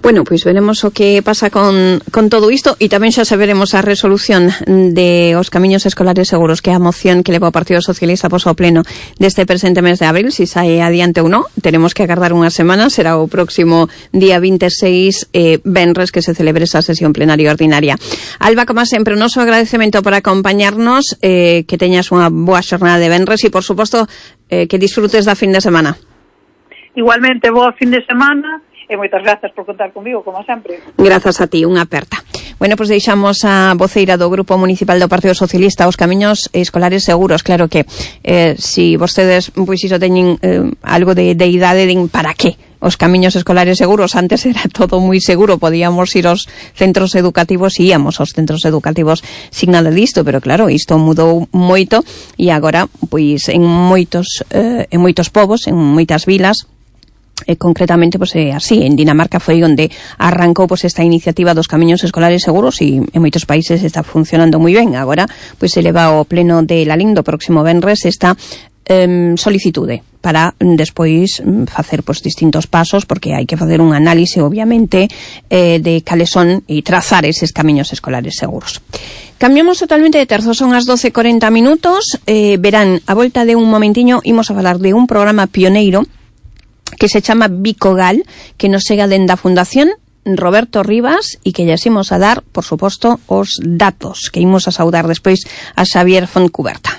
Bueno, pois veremos o que pasa con, con todo isto e tamén xa saberemos a resolución de os camiños escolares seguros, que é a moción que leva o Partido Socialista pos ao pleno deste presente mes de abril, si sae adiante ou non. Teremos que agardar unha semana, será o próximo día vinte e seis, eh, venres, que se celebre esa sesión plenaria ordinaria. Alba, como sempre, o noso agradecemento por acompañarnos, eh, que teñas unha boa xornada de venres e, por suposto, eh, que disfrutes da fin de semana. Igualmente, bo fin de semana e moitas grazas por contar comigo, como sempre. Grazas a ti, unha aperta. Bueno, pois pues deixamos a voceira do Grupo Municipal do Partido Socialista os camiños escolares seguros. Claro que eh, si vostedes pois iso teñen eh, algo de, de idade, din para qué os camiños escolares seguros. Antes era todo moi seguro, podíamos ir aos centros educativos e íamos aos centros educativos sin nada disto, pero claro, isto mudou moito e agora, pois en moitos eh, en moitos povos, en moitas vilas, E concretamente, pues, é así, en Dinamarca foi onde arrancou pues, esta iniciativa dos camiños escolares seguros e en moitos países está funcionando moi ben. Agora, pues, se leva ao pleno de Lalín do próximo venres esta eh, solicitude para despois facer pues, distintos pasos, porque hai que facer un análise, obviamente, eh, de cales son e trazar eses camiños escolares seguros. Cambiamos totalmente de terzo, son as doce e corenta minutos, eh, verán, a volta de un momentiño, imos a falar de un programa pioneiro que se chama Bicogal, que nos chega dende a Fundación Roberto Rivas e que lles imos a dar, por suposto, os datos que imos a saudar despois a Xavier Fontcuberta.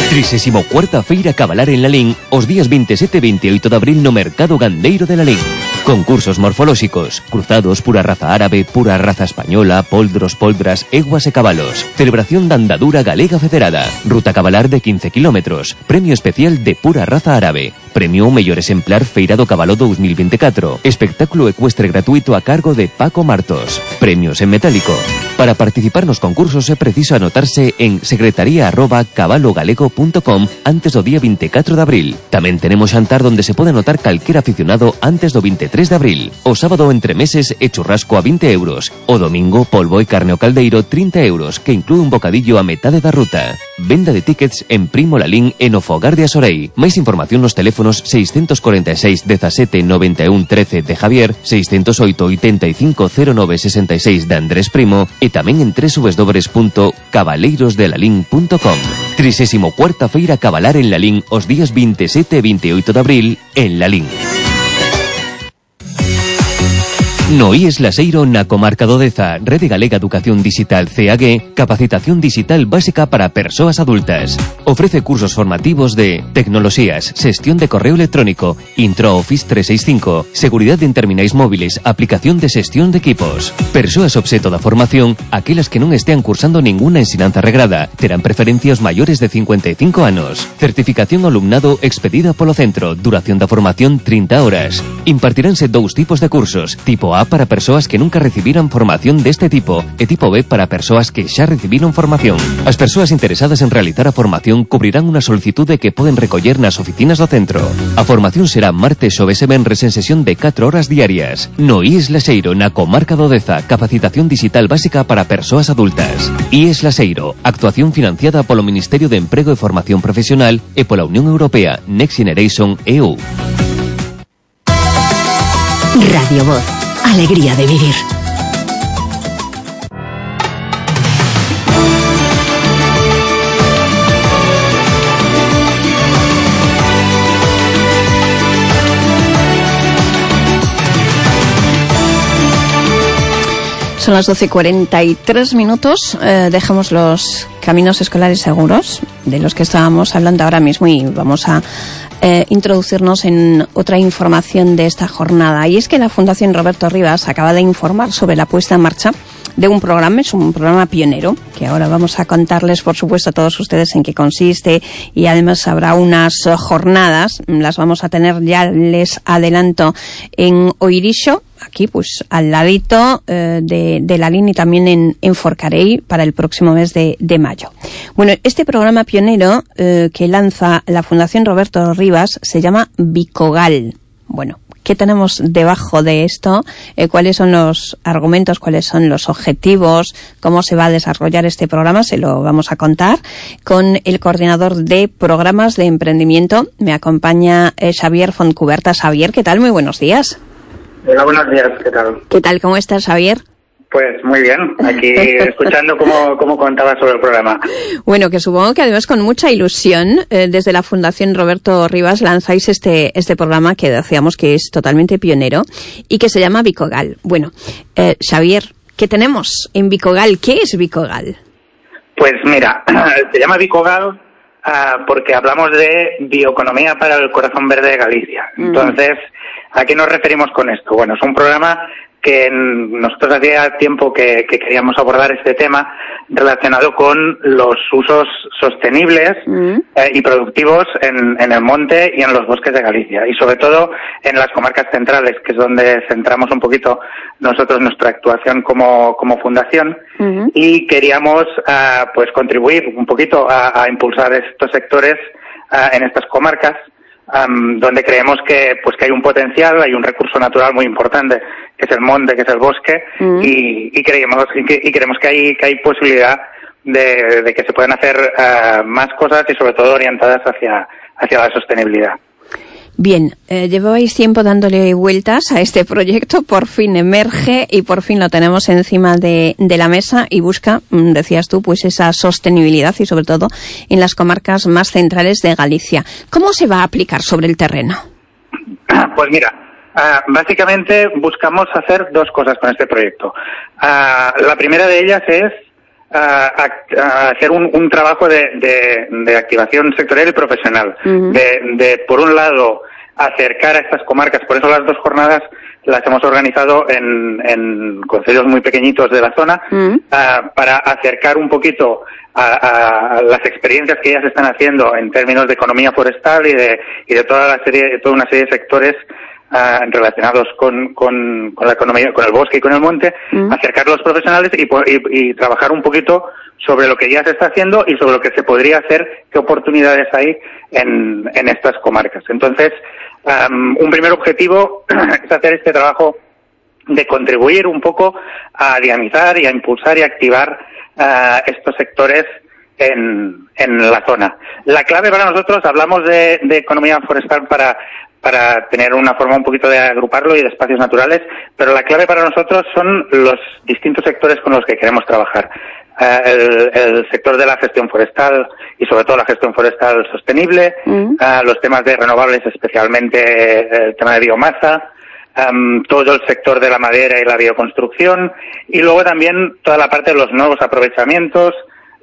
trisésimo cuarta Feira Cabalar en Lalín os días veintisiete e veintioito de abril no Mercado Gandeiro de Lalín. Concursos morfolóxicos, cruzados, pura raza árabe, pura raza española, poldros, poldras, eguas e cabalos. Celebración da andadura galega federada. Ruta cabalar de quince kilómetros. Premio especial de pura raza árabe. Premio mellor exemplar Feira do Cabalo dos mil veinticuatro. Espectáculo ecuestre gratuito a cargo de Paco Martos. Premios en metálico. Para participar nos concursos é preciso anotarse en secretaría arroba cabalogalego punto com antes do día veinticuatro de abril. Tamén tenemos xantar donde se pode anotar calquer aficionado antes do veintitrés de abril. O sábado entre meses e churrasco a vinte euros. O domingo polvo e carne ao caldeiro trinta euros, que inclúe un bocadillo a metade da ruta. Venda de tickets en Primo Lalín e no Fogar de Asorei. Máis información nos teléfonos seiscentos cuarenta e seis dezasete noventa e un trece de Javier, seiscentos oito oitenta e cinco cero nove sesenta e seis de Andrés Primo e tamén en doble u doble u doble u punto cabaleiros de lalín punto com. trisésimo cuarta Feira Cabalar en Lalín os días veintisiete e veintioito de abril en Lalín. No I E S Laseiro na comarca do Deza, Rede Galega Educación Digital C A G, capacitación digital básica para persoas adultas. Ofrece cursos formativos de tecnoloxías, xestión de correo electrónico, Intro Office trescientos sesenta y cinco, seguridade en terminais móviles, aplicación de xestión de equipos. Persoas obxeto da formación, aquelas que non estean cursando ninguna ensinanza regrada, terán preferencia os maiores de cincuenta e cinco anos. Certificación ao alumnado expedida polo centro, duración da formación trinta horas. Impartiránse dous tipos de cursos, tipo A para persoas que nunca recibiran formación deste tipo e tipo B para persoas que xa recibiron formación. As persoas interesadas en realizar a formación cubrirán unha solicitude que poden recoller nas oficinas do centro. A formación será martes, xoves e venres en sesión de catro horas diarias. No I E S Laseiro, na comarca do Deza, capacitación digital básica para persoas adultas. I E S Laseiro, actuación financiada polo Ministerio de Emprego e Formación Profesional e pola Unión Europea Next Generation E U. Radio Voz. Alegría de vivir. Son las doce y cuarenta y tres minutos. Eh, dejamos los caminos escolares seguros, de los que estábamos hablando ahora mismo, y vamos a eh, introducirnos en otra información de esta jornada. Y es que la Fundación Roberto Rivas acaba de informar sobre la puesta en marcha de un programa, es un programa pionero, que ahora vamos a contarles, por supuesto, a todos ustedes en qué consiste, y además habrá unas jornadas, las vamos a tener, ya les adelanto, en Oirixo, aquí pues al ladito eh, de, de Lalín, y también en, en Forcarei para el próximo mes de, de mayo. Bueno, este programa pionero eh, que lanza la Fundación Roberto Rivas se llama Bicogal. Bueno, ¿qué tenemos debajo de esto? Eh, ¿Cuáles son los argumentos? ¿Cuáles son los objetivos? ¿Cómo se va a desarrollar este programa? Se lo vamos a contar con el coordinador de programas de emprendimiento. Me acompaña eh, Xavier Fontcuberta. Xavier, ¿qué tal? Muy buenos días. Hola, buenos días, ¿qué tal? ¿Qué tal? ¿Cómo estás, Xavier? Pues muy bien, aquí escuchando cómo, cómo contabas sobre el programa. Bueno, que supongo que además con mucha ilusión, eh, desde la Fundación Roberto Rivas lanzáis este este programa que decíamos que es totalmente pionero y que se llama Bicogal. Bueno, eh, Xavier, ¿qué tenemos en Bicogal? ¿Qué es Bicogal? Pues mira, se llama Bicogal uh, porque hablamos de bioeconomía para el corazón verde de Galicia. Mm. Entonces, ¿a qué nos referimos con esto? Bueno, es un programa que nosotros hacía tiempo que, que queríamos abordar este tema relacionado con los usos sostenibles mm. eh, y productivos en, en el monte y en los bosques de Galicia, y sobre todo en las comarcas centrales, que es donde centramos un poquito nosotros nuestra actuación como, como fundación, mm. y queríamos uh, pues contribuir un poquito a, a impulsar estos sectores uh, en estas comarcas, Um, donde creemos que pues que hay un potencial, hay un recurso natural muy importante, que es el monte, que es el bosque, mm. y, y creemos y, que, y creemos que hay que hay posibilidad de, de que se puedan hacer uh, más cosas, y sobre todo orientadas hacia hacia la sostenibilidad. Bien, eh, llevabais tiempo dándole vueltas a este proyecto, por fin emerge y por fin lo tenemos encima de, de la mesa y busca, decías tú, pues esa sostenibilidad, y sobre todo en las comarcas más centrales de Galicia. ¿Cómo se va a aplicar sobre el terreno? Pues mira, uh, básicamente buscamos hacer dos cosas con este proyecto. Uh, la primera de ellas es uh, a, a hacer un, un trabajo de, de, de activación sectorial y profesional. Uh-huh. de, de, por un lado, acercar a estas comarcas. Por eso las dos jornadas las hemos organizado en, en concellos muy pequeñitos de la zona, uh-huh. uh, para acercar un poquito a, a las experiencias que ellas están haciendo en términos de economía forestal y de, y de toda la serie, toda una serie de sectores Uh, relacionados con, con, con la economía, con el bosque y con el monte, mm. acercar a los profesionales y, y, y trabajar un poquito sobre lo que ya se está haciendo y sobre lo que se podría hacer, qué oportunidades hay en, en estas comarcas. Entonces, um, un primer objetivo es hacer este trabajo de contribuir un poco a dinamizar y a impulsar y a activar uh, estos sectores en, en la zona. La clave para nosotros, hablamos de, de economía forestal para para tener una forma un poquito de agruparlo y de espacios naturales, pero la clave para nosotros son los distintos sectores con los que queremos trabajar. Uh, el, el sector de la gestión forestal y sobre todo la gestión forestal sostenible, mm. uh, los temas de renovables, especialmente el tema de biomasa, um, todo el sector de la madera y la bioconstrucción, y luego también toda la parte de los nuevos aprovechamientos,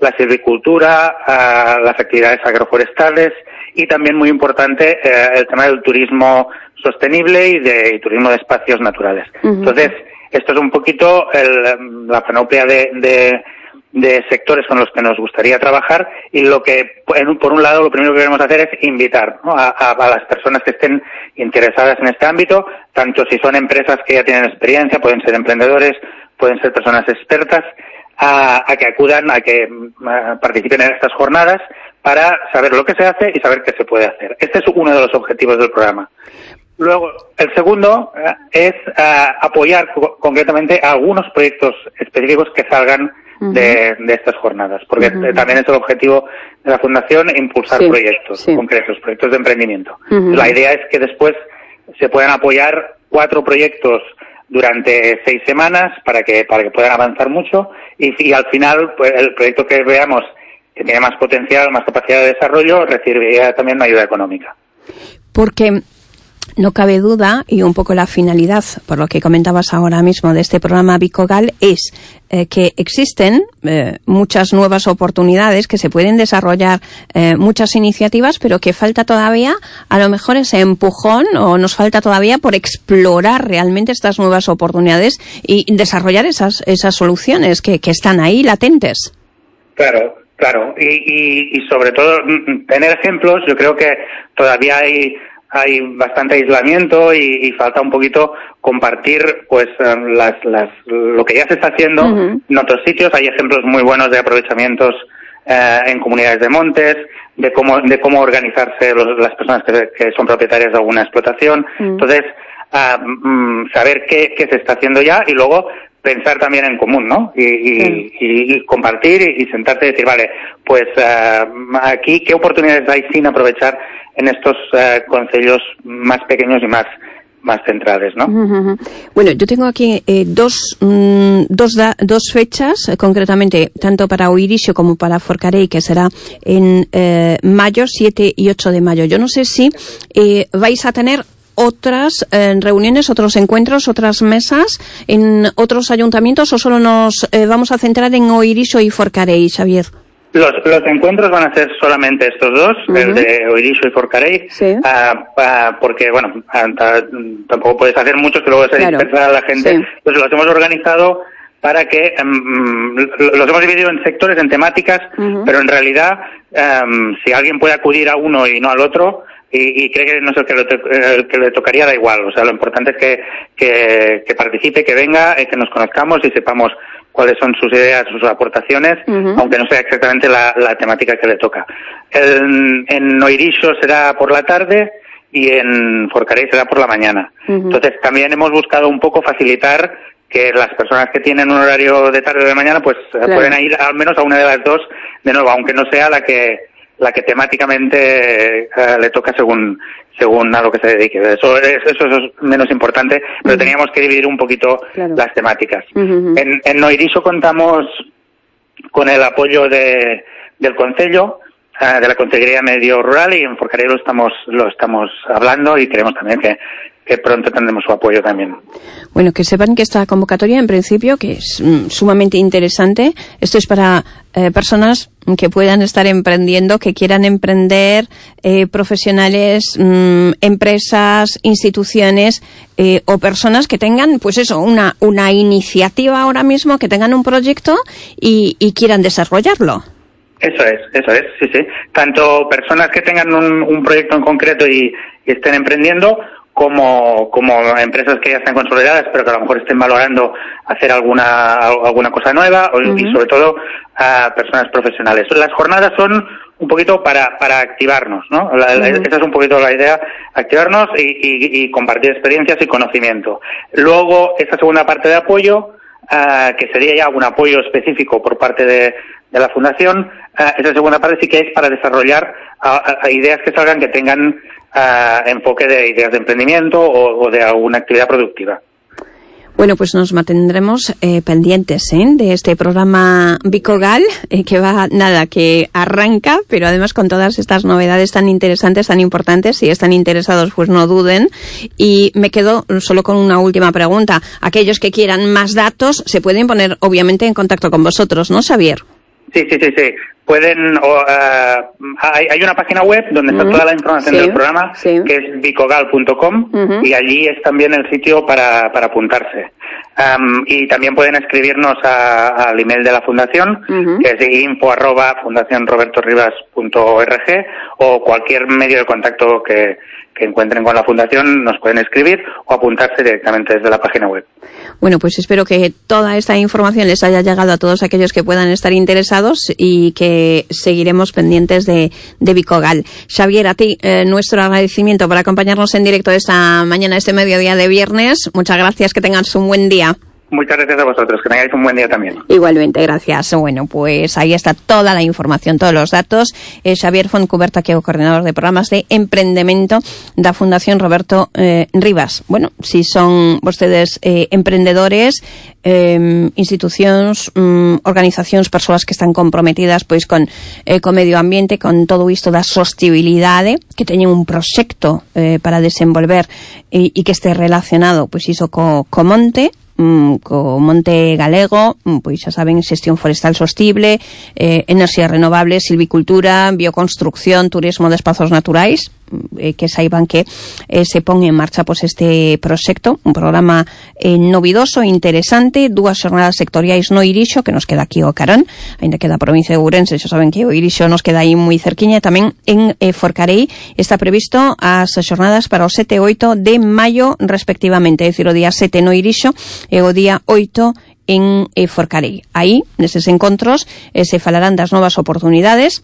la silvicultura, uh, las actividades agroforestales, y también muy importante eh, el tema del turismo sostenible y de y turismo de espacios naturales. Uh-huh. Entonces, esto es un poquito el, la panoplia de, de, de sectores con los que nos gustaría trabajar, y lo que, por un lado, lo primero que queremos hacer es invitar, ¿no?, a, a, a las personas que estén interesadas en este ámbito, tanto si son empresas que ya tienen experiencia, pueden ser emprendedores, pueden ser personas expertas, a, a que acudan, a que a participen en estas jornadas, para saber lo que se hace y saber qué se puede hacer. Este es uno de los objetivos del programa. Luego, el segundo eh, es uh, apoyar co- concretamente a algunos proyectos específicos que salgan uh-huh. de, de estas jornadas, porque uh-huh. también es el objetivo de la Fundación, impulsar sí, proyectos sí. concretos, proyectos de emprendimiento. Uh-huh. La idea es que después se puedan apoyar cuatro proyectos durante seis semanas para que para que puedan avanzar mucho, y, y al final, pues, el proyecto que veamos que tiene más potencial, más capacidad de desarrollo, recibiría también una ayuda económica. Porque no cabe duda, y un poco la finalidad, por lo que comentabas ahora mismo, de este programa Bicogal, es eh, que existen eh, muchas nuevas oportunidades, que se pueden desarrollar eh, muchas iniciativas, pero que falta todavía a lo mejor ese empujón, o nos falta todavía por explorar realmente estas nuevas oportunidades y desarrollar esas esas soluciones que, que están ahí latentes. Claro. Claro, y, y, y sobre todo tener ejemplos. Yo creo que todavía hay hay bastante aislamiento y, y falta un poquito compartir pues las, las lo que ya se está haciendo uh-huh. en otros sitios. Hay ejemplos muy buenos de aprovechamientos eh, en comunidades de montes, de cómo de cómo organizarse los, las personas que, que son propietarias de alguna explotación. Uh-huh. Entonces, uh, um, saber qué, qué se está haciendo ya, y luego pensar también en común, ¿no? Y, y, sí. y, y compartir y, y sentarte y decir, vale, pues uh, aquí qué oportunidades hay sin aprovechar en estos uh, concellos más pequeños y más más centrales, ¿no? Uh-huh. Bueno, yo tengo aquí eh, dos mm, dos da, dos fechas, eh, concretamente tanto para Oirixo como para Forcarei, que será en eh, mayo, siete y ocho de mayo. Yo no sé si eh, vais a tener otras eh, reuniones, otros encuentros, otras mesas en otros ayuntamientos, o solo nos eh, vamos a centrar en Oirixo y Forcarei, Xavier. Los, los encuentros van a ser solamente estos dos, uh-huh. el de Oirisho y Forcarei, sí. uh, uh, porque, bueno, uh, tampoco puedes hacer muchos que luego se claro. dispersa a la gente. Sí. Entonces los hemos organizado para que um, los hemos dividido en sectores, en temáticas, uh-huh. pero en realidad, um, si alguien puede acudir a uno y no al otro, y, y cree que no es el que, le, el que le tocaría, da igual. O sea, lo importante es que, que, que participe, que venga, eh, que nos conozcamos y sepamos cuáles son sus ideas, sus aportaciones, uh-huh. aunque no sea exactamente la, la temática que le toca. El, en Oirisho será por la tarde y en Forcarei será por la mañana. Uh-huh. Entonces, también hemos buscado un poco facilitar que las personas que tienen un horario de tarde o de mañana, pues claro. pueden ir al menos a una de las dos de nuevo, aunque no sea la que la que temáticamente uh, le toca según según a lo que se dedique. Eso es, eso es menos importante, pero uh-huh. teníamos que dividir un poquito claro. las temáticas. Uh-huh. En, en Oirisho contamos con el apoyo de del Concello, uh, de la Consellería Medio Rural, y en Forcarei lo estamos, lo estamos hablando y creemos también que que pronto tendremos su apoyo también. Bueno, que sepan que esta convocatoria, en principio, que es mm, sumamente interesante, esto es para eh, personas que puedan estar emprendiendo, que quieran emprender, eh, profesionales, mm, empresas, instituciones, eh, o personas que tengan, pues eso, una, una iniciativa ahora mismo, que tengan un proyecto y, y quieran desarrollarlo. Eso es, eso es, sí, sí. Tanto personas que tengan un, un proyecto en concreto y, y estén emprendiendo, como como empresas que ya están consolidadas pero que a lo mejor estén valorando hacer alguna alguna cosa nueva, uh-huh. y sobre todo a personas profesionales. Las jornadas son un poquito para para activarnos, ¿no? La, uh-huh. Esa es un poquito la idea, activarnos y, y, y compartir experiencias y conocimiento. Luego, esa segunda parte de apoyo, uh, que sería ya un apoyo específico por parte de, de la Fundación, uh, esa segunda parte sí que es para desarrollar uh, uh, ideas que salgan que tengan Uh, enfoque de ideas de emprendimiento o, o de alguna actividad productiva. Bueno, pues nos mantendremos eh, pendientes ¿eh? de este programa Bicogal, eh, que va, nada, que arranca, pero además con todas estas novedades tan interesantes, tan importantes. Si están interesados, pues no duden. Y me quedo solo con una última pregunta. Aquellos que quieran más datos se pueden poner, obviamente, en contacto con vosotros, ¿no, Xavier? Sí, sí, sí, sí. Pueden, o, uh, hay, hay una página web donde está uh-huh. toda la información sí, del programa, sí. que es bicogal punto com, uh-huh. y allí es también el sitio para, para apuntarse. Um, y también pueden escribirnos a, al email de la Fundación, uh-huh. que es info arroba fundación roberto rivas punto org, o cualquier medio de contacto que, que encuentren con la Fundación nos pueden escribir o apuntarse directamente desde la página web. Bueno, pues espero que toda esta información les haya llegado a todos aquellos que puedan estar interesados y que seguiremos pendientes de, de Bicogal. Xavier, a ti eh, nuestro agradecimiento por acompañarnos en directo esta mañana, este mediodía de viernes. Muchas gracias, que tengas un buen día. Muchas gracias a vosotros, que tengáis un buen día también. Igualmente, gracias. Bueno, pues ahí está toda la información, todos los datos. Eh, Xavier Fontcuberta, que é o coordinador de programas de emprendemento da Fundación Roberto eh, Rivas. Bueno, si son vostedes eh, emprendedores, eh, institucións, mm, organizacións, persoas que están comprometidas pois con eh, co medio ambiente, con todo isto da sostibilidade, que teñen un proxecto eh, para desenvolver e, e que este relacionado pois iso co, co monte, co monte galego, pois xa saben, xestión forestal sostible, eh, enerxías renovables, silvicultura, bioconstrucción, turismo de espazos naturais, eh, que saiban que eh, se pon en marcha pois este proxecto, un programa eh, novidoso, interesante, dúas xornadas sectoriais no Oirisho, que nos queda aquí o carón, ainda que da provincia de Ourense, xa saben que o Oirisho nos queda aí moi cerquiña, tamén en eh, Forcarei está previsto as xornadas para o sete e oito de maio respectivamente, é dicir, o día sete no Oirisho e o día oito en eh, Forcarei. Aí, neses encontros, eh, se falarán das novas oportunidades,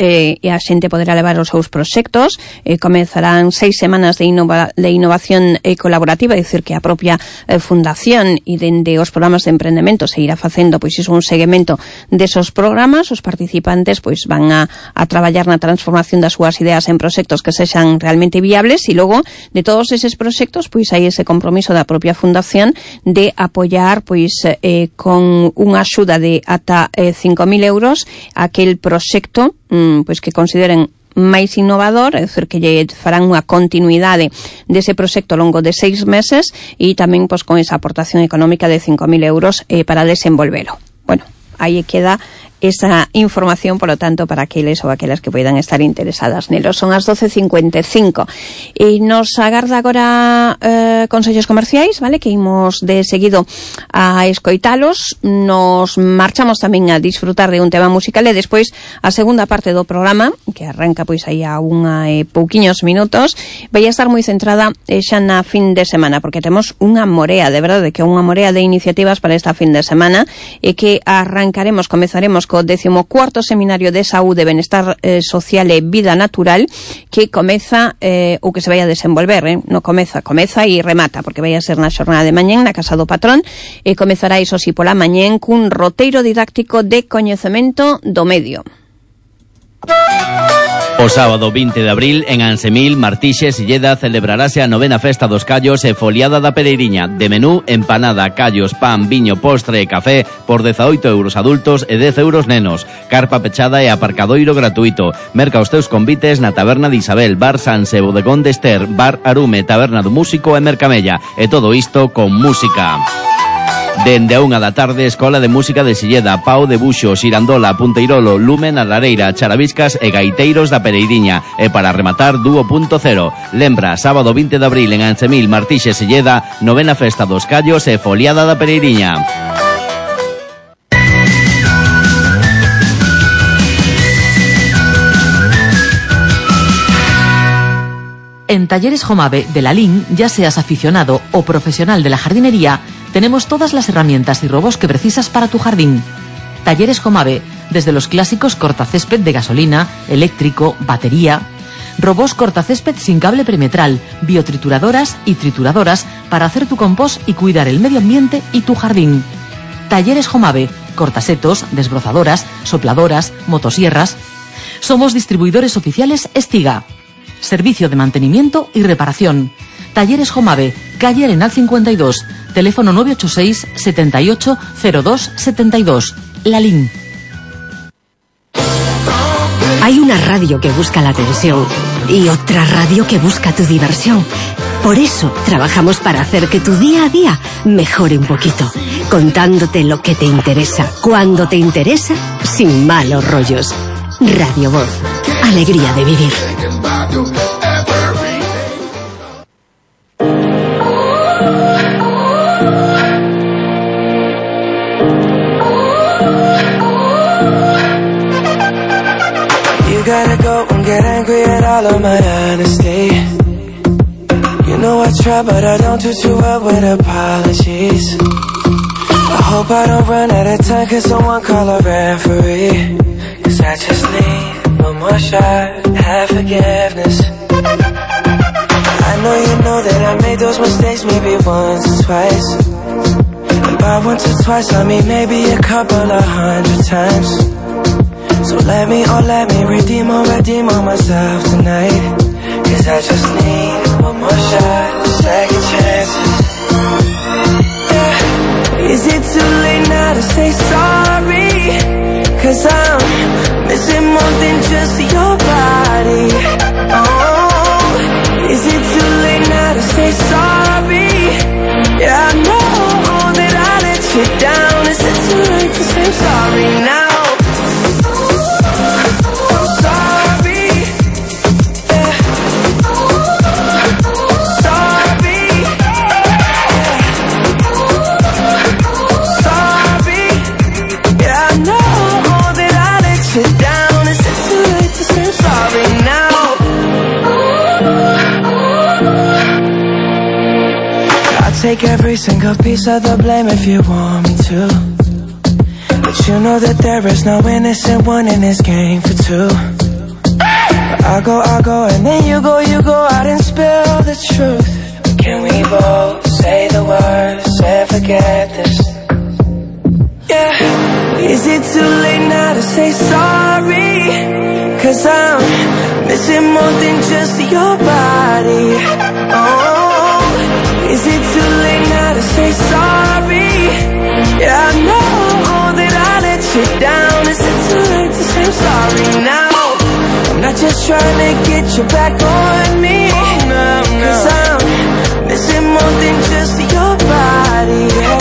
eh, e a xente poderá levar os seus proxectos. Eh, comezarán seis semanas de, innova, de innovación eh, colaborativa, é dicir, que a propia eh, fundación e dende os programas de emprendemento se irá facendo pois iso un seguimento desos programas. Os participantes pois van a, a traballar na transformación das súas ideas en proxectos que sexan realmente viables, e logo de todos eses proxectos pois hai ese compromiso da propia fundación de apoiar pois eh, con unha axuda de ata eh, cinco mil euros aquel proxecto pois que consideren máis innovador, é dicir, que lle farán unha continuidade dese proxecto ao longo de seis meses e tamén pois con esa aportación económica de cinco mil euros eh, para desenvolvelo. Bueno, aí queda esa información, por lo tanto, para aqueles ou aquelas que poidan estar interesadas nelo. Son as doce cincuenta e cinco e nos agarda agora eh, consellos comerciais, vale, que imos de seguido a escoitalos. Nos marchamos tamén a disfrutar de un tema musical e despois a segunda parte do programa, que arranca pois aí a unha e pouquiños minutos, vai a estar moi centrada eh, xa na fin de semana, porque temos unha morea, de verdade, que unha morea de iniciativas para esta fin de semana, e que arrancaremos, comezaremos co décimo cuarto Seminario de Saúde, Benestar eh, Social e Vida Natural, que comeza, eh, ou que se vai a desenvolver, eh, no comeza, comeza e remata, porque vai a ser na xornada de mañén, na Casa do Patrón, e comezará iso si pola mañén cun roteiro didáctico de coñecemento do medio. O sábado vinte de abril, en Ansemil, Martixes, Silleda, celebrarase a novena festa dos callos e foliada da Pereiriña. De menú, empanada, callos, pan, viño, postre e café por dezaoito euros adultos e dez euros nenos. Carpa pechada e aparcadoiro gratuito. Merca os teus convites na Taberna de Isabel, Bar Sanse, Bodegón de Ester, Bar Arume, Taberna do Músico e Mercamella. E todo isto con música. Dende a unha da tarde, Escola de Música de Silleda, Pau de Buxo, Xirandola, Punteirolo, Lumen, a Lareira, Charaviscas e Gaiteiros da Pereiriña. E para rematar, Dúo punto cero. Lembra, sábado vinte de abril en Ansemil, Martixes, Silleda, novena festa dos callos e foliada da Pereiriña. En Talleres Jomave de la Lin, ya seas aficionado o profesional de la jardinería, tenemos todas las herramientas y robos que precisas para tu jardín. Talleres Jomave, desde los clásicos cortacésped de gasolina, eléctrico, batería, robos cortacésped sin cable perimetral, biotrituradoras y trituradoras para hacer tu compost y cuidar el medio ambiente y tu jardín. Talleres Jomave, cortasetos, desbrozadoras, sopladoras, motosierras. Somos distribuidores oficiales Estiga. Servicio de mantenimiento y reparación. Talleres Jomave, calle Arenal cincuenta y dos, teléfono nueve ocho seis, setenta y ocho, cero dos, setenta y dos. La Lin. Hay una radio que busca la atención y otra radio que busca tu diversión. Por eso trabajamos para hacer que tu día a día mejore un poquito, contándote lo que te interesa, cuando te interesa, sin malos rollos. Radio Voz, alegría de vivir. You gotta go and get angry at all of my honesty. You know I try, but I don't do too well with apologies. I hope I don't run out of time, cause someone call a referee. Cause I just need one more shot, have forgiveness. I know you know that I made those mistakes maybe once or twice. And by once or twice I mean maybe a couple of hundred times. So let me, oh let me redeem or redeem on myself tonight. Cause I just need one more shot, second chances. Yeah. Is it too late now to say sorry? Cause I'm missing more than just your body. Oh, is it too late now to say sorry? Yeah, I know that I let you down. Is it too late to say sorry now? Take every single piece of the blame if you want me to. But you know that there is no innocent one in this game for two. But I go, I go, and then you go, you go out and spill the truth. But can we both say the words and forget this? Yeah. Is it too late now to say sorry? Cause I'm missing more than just your body. Oh, is it too late now to say sorry? Yeah, I know that I let you down. Is it too late to say I'm sorry now? I'm not just trying to get you back on me. No, no. Cause I'm missing more than just your body. Yeah.